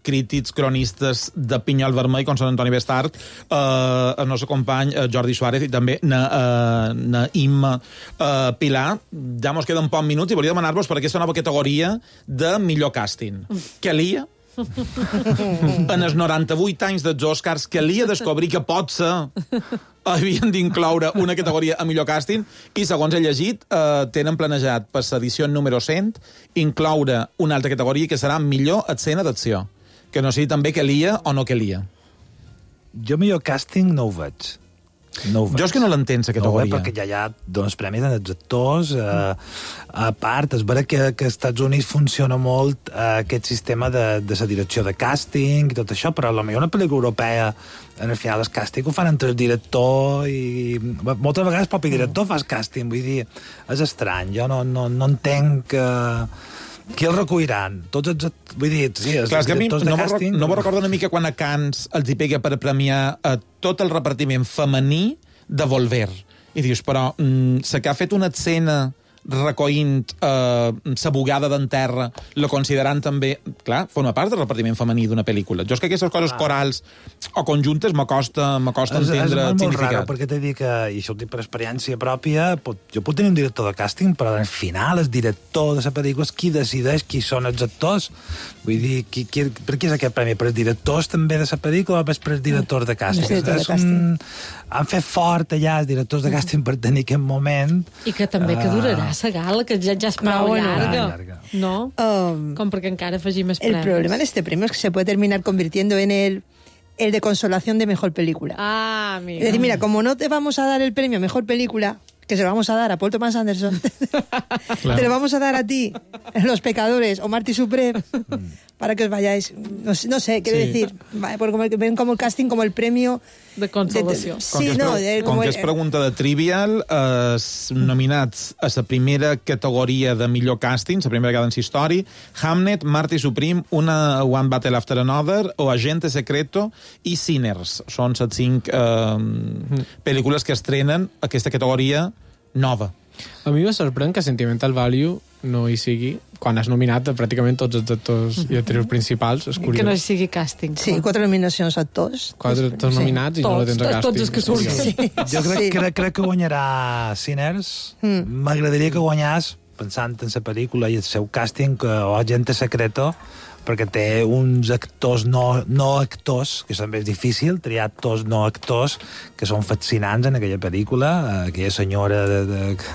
crítics cronistes de Pinyol Vermell, com són Antoni Bestart, el nostre company Jordi Suárez i també na Imma Pilar. Ja mos queden pocs minuts i volia demanar-vos per aquesta nova categoria de millor càsting. Calia? En els 98 anys dels Oscars calia descobrir que potser havien d'incloure una categoria a millor càsting i, segons he llegit, tenen planejat per l'edició número 100 incloure una altra categoria que serà millor escena d'acció. Que no sé també calia o no calia. Jo millor càsting no ho veig. Jo és que no l'entens, aquesta categoria. No, perquè ja hi ha dones premis als actors. A part, és vera que als Estats Units funciona molt aquest sistema de la direcció de càsting i tot això, però potser una pel·lícula europea, en el final, el càsting ho fan entre el director i... Moltes vegades el propi director fa el càsting, vull dir, és estrany. Jo no entenc que... Qui el recolliran? Tots els... Vull dir, sí, els directors de càsting... No me recordo una mica quan a Cannes els hi pega per premiar tot el repartiment femení de Volver. I dius, però la que ha fet una escena recollint sa bugada d'en terra, la considerant també... Clar, forma part del repartiment femení d'una pel·lícula. Jo és que aquestes coses corals o conjuntes me costa entendre el significat. És molt raro, perquè t'he dit que, i això ho dic per experiència pròpia, jo puc tenir un director de càsting, però al final el director de la pel·lícula és qui decideix qui són els actors. Vull dir, per què és aquest premi? Per els directors també de la pel·lícula o per els directors de càsting? Han fet fort allà els directors de càsting per tenir aquest moment. I que també que durarà la gala, que ja és prou llarga. No? Com perquè encara afegim més premis. El problema de este premio es que se puede terminar convirtiendo en el de consolación de mejor película. Ah, mira. Es decir, mira, como no te vamos a dar el premio a mejor película, que se lo vamos a dar a Paul Thomas Anderson, te lo vamos a dar a ti, Los Pecadores o Marty Supreme, para que os vayáis. No sé, quiero decir, porque ven como el casting como el premio de consolació. Com que és pregunta de Trivial, nominats a la primera categoria de millor càsting, la primera vegada en història, Hamnet, Marty Supreme, One Battle After Another, o Agente Secreto i Sinners. Són les 5 pel·lícules que estrenen aquesta categoria nova. A mi me sorprèn que Sentimental Value no hi sigui, quan has nominat pràcticament tots els actors i actrius principals. És curiós. Que no hi sigui càsting. Sí, 4 nominacions a actors. 4 actors nominats i no la tens a càsting. Tots els que surten. Jo crec que guanyarà Sinners. M'agradaria que guanyés, pensant en la pel·lícula i el seu càsting, o Agente Secreto, perquè té uns actors no actors, que també és difícil triar actors no actors que són fascinants en aquella pel·lícula. Aquella senyora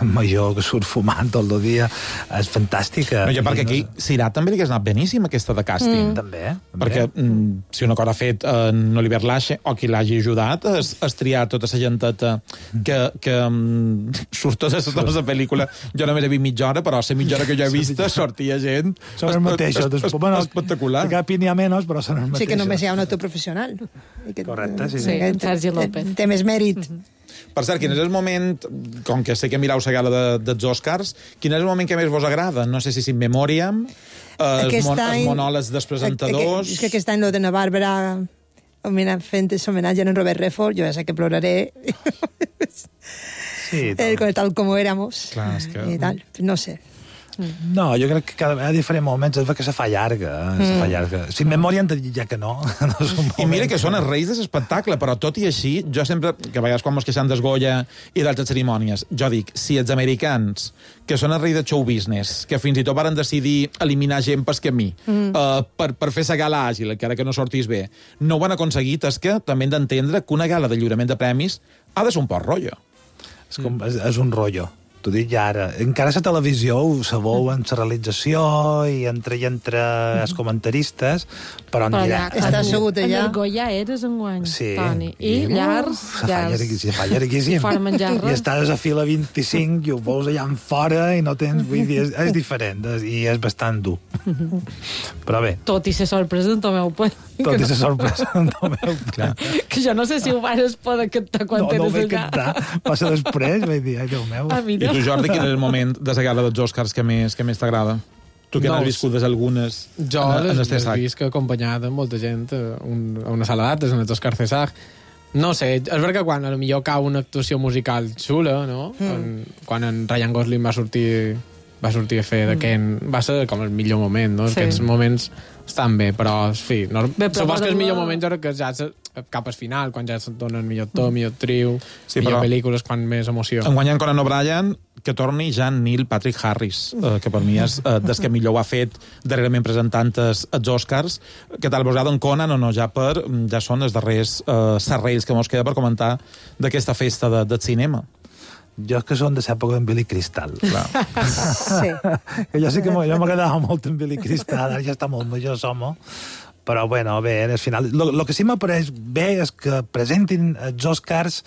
major que surt fumant tot el dia és fantàstica. No, perquè aquí Sirà també li hagués anat beníssim, aquesta de càsting. També. Perquè si una cosa ha fet en Oliver Lache o qui l'hagi ajudat és triar tota la genteta que surt tota la pel·lícula. Jo només he vist mitja hora, però a la mitja hora que jo he vist sortia gent són els mateixos. Espectacular. Cap n'hi ha menys, però són els mateixos. Sí, que només hi ha un actor professional. Correcte, sí. Sergi López. Té més mèrit. Per cert, quin és el moment, com que sé que mirau la gala dels Oscars, quin és el moment que més vos agrada? No sé si In Memoriam, els monòlegs dels presentadors... És que aquest any lo de la Bàrbara fent homenatge a en Robert Redford, jo ja sé que ploraré. Sí, tal como éramos. Clar, és que... I tal, no sé. No, jo crec que cada vegada a diferents moments és que se fa llarga. Si en memòria ja que no. I mira que són els reis de l'espectacle, però tot i així, jo sempre, que a vegades quan mos queixem dels Goya i d'altres cerimònies, jo dic, si els americans, que són els reis de show business, que fins i tot varen decidir eliminar gent pel camí, per fer la gala àgil, encara que no sortís bé, no ho han aconseguit, és que també hem d'entendre que una gala de lliurament de premis ha de ser un poc rotllo. És un rotllo. T'ho dic ja ara. Encara la televisió ho sabeu en la realització i entre els comentaristes, però en directe... Està assegut allà. En el Goya eres enguany, sí. Toni. I llars. Se fa llarguíssim. I estàs a fila 25 i ho veus allà en fora i no tens... Vull dir, és diferent i és bastant dur. Però bé. Tot i ser sorpresa en Tomeu Puig. Tot i ser sorpresa en Tomeu Puig. Que jo no sé si ho vares poder cantar quan tens allà. No ho vaig cantar. Passa després, vaig dir, ai, Déu meu. I tu, Jordi, quin és el moment de la gala dels Oscars que més t'agrada? Tu que n'has viscut algunes... Jo les he vist acompanyada amb molta gent a una sala d'actes, en els Oscars César, No sé, és veritat que quan potser cau una actuació musical xula, no? Quan en Ryan Gosling va sortir a fer de Ken, va ser com el millor moment, no? Aquests moments estan bé, però, en fi, supos que el millor moment jo crec que ja cap al final, quan ja se't donen millor to, millor trio, millor pel·lícules, quan més emoció. En guanyant Conan O'Brien, que torni ja Neil Patrick Harris, que per mi és des que millor ho ha fet darrerament presentant els Oscars. Què tal, vos agrada en Conan o no? Ja són els darrers serrells que mos queda per comentar d'aquesta festa de cinema. Jo que són de l'època d'en Billy Crystal. Sí. Jo sí que m'agradava molt en Billy Crystal, ara ja està molt major, però bueno, bé, al final el que sí m'apareix bé és que presentin els Oscars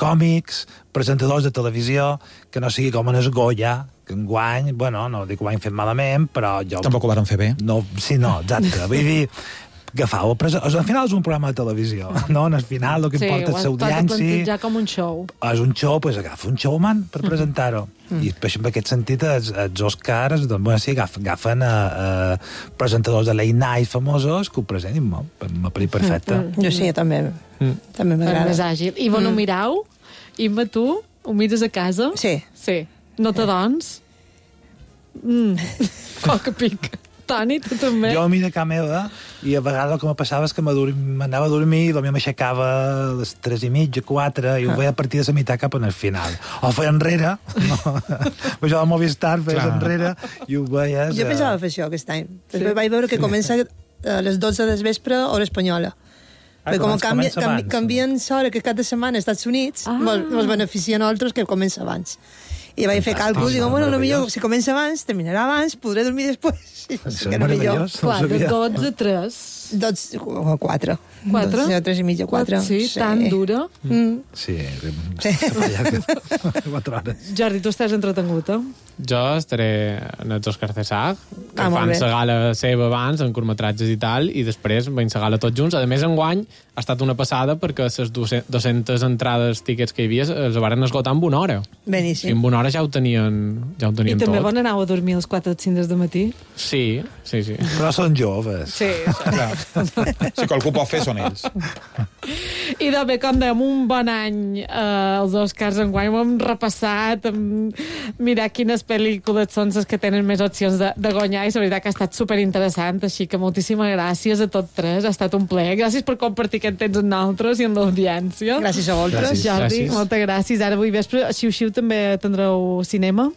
còmics, presentadors de televisió, que no sigui com en el Goya, que enguany, bueno, no dic que ho han fet malament, però jo... Tampoc ho van fer bé. No, sí, no, exacte. Vull dir, agafau, al final és un programa de televisió, no? Al final el que importa és l'audiència. Sí, ho has plantejar com un show. És un show, doncs agafa un showman per presentar-ho. I en aquest sentit els Oscars doncs, sí, agafen presentadors de late night famosos que ho presentin molt, m'ha parit perfecte. Jo sí, també m'agrada. És més àgil. I no mirau? Imma, tu? Ho mires a casa? Sí. No t'adons? Poc pic. Toni, tu també? Jo miro a casa meva i a vegades el que me passava és que m'anava a dormir i potser m'aixecava a les 3:30, 4, i ho veia a partir de la meitat cap al final. O feia enrere, no? Jo al Movistar feies enrere i ho veies... Jo pensava fer això aquest any. Després vaig veure que comença a les 12 del vespre, hora espanyola. Perquè com canvien l'hora que cada setmana als Estats Units, ens beneficia a nosaltres que comença abans. I vaig fer càlculs i dic, bueno, potser si comença abans, terminarà abans, podré dormir després. Això és meravellós. Clar, de 12 a 3. 12 o 4. 4? 3:30, 4. Sí, tan dura. Sí. 4 hores. Jordi, tu estàs entretengut, Jo estaré en els Oscars de SAG, que fan la gala seva abans, en curtmetratges i tal, i després veiem la gala tots junts. A més, enguany ha estat una passada perquè les 200 entrades, tiquets que hi havia, els van esgotar en una hora. Beníssim. I en una hora ja ho tenien tot. I també van anar a dormir als 4 o 5 del matí? Sí. Però són joves. Sí. Si qualcú pot fer, són ells. I de bé, com dèiem, un bon any els Oscars enguany. Ho hem repassat, mirar quines pel·lícules són les que tenen més opcions de guanyar, i la veritat que ha estat superinteressant, així que moltíssimes gràcies a tots tres, ha estat un plaer. Gràcies per compartir aquest temps amb nosaltres i amb l'audiència. Gràcies a vosaltres. Jordi, moltes gràcies. Ara avui vespre, xiu-xiu, també tindreu cinema?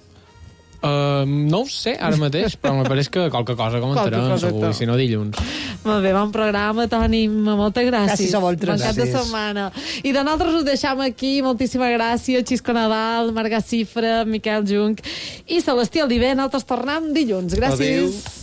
No ho sé ara mateix, però me pareix que qualque cosa comentarem, segur, si no dilluns. Molt bé, bon programa, Toni, moltes gràcies. Gràcies a vosaltres. Bon cap de setmana. I de nosaltres us deixam aquí, moltíssimes gràcies, Xisco Nadal, Marga Cifra, Miquel Junc i Celestí Oliver. Nosaltres tornem dilluns. Gràcies. Adéu.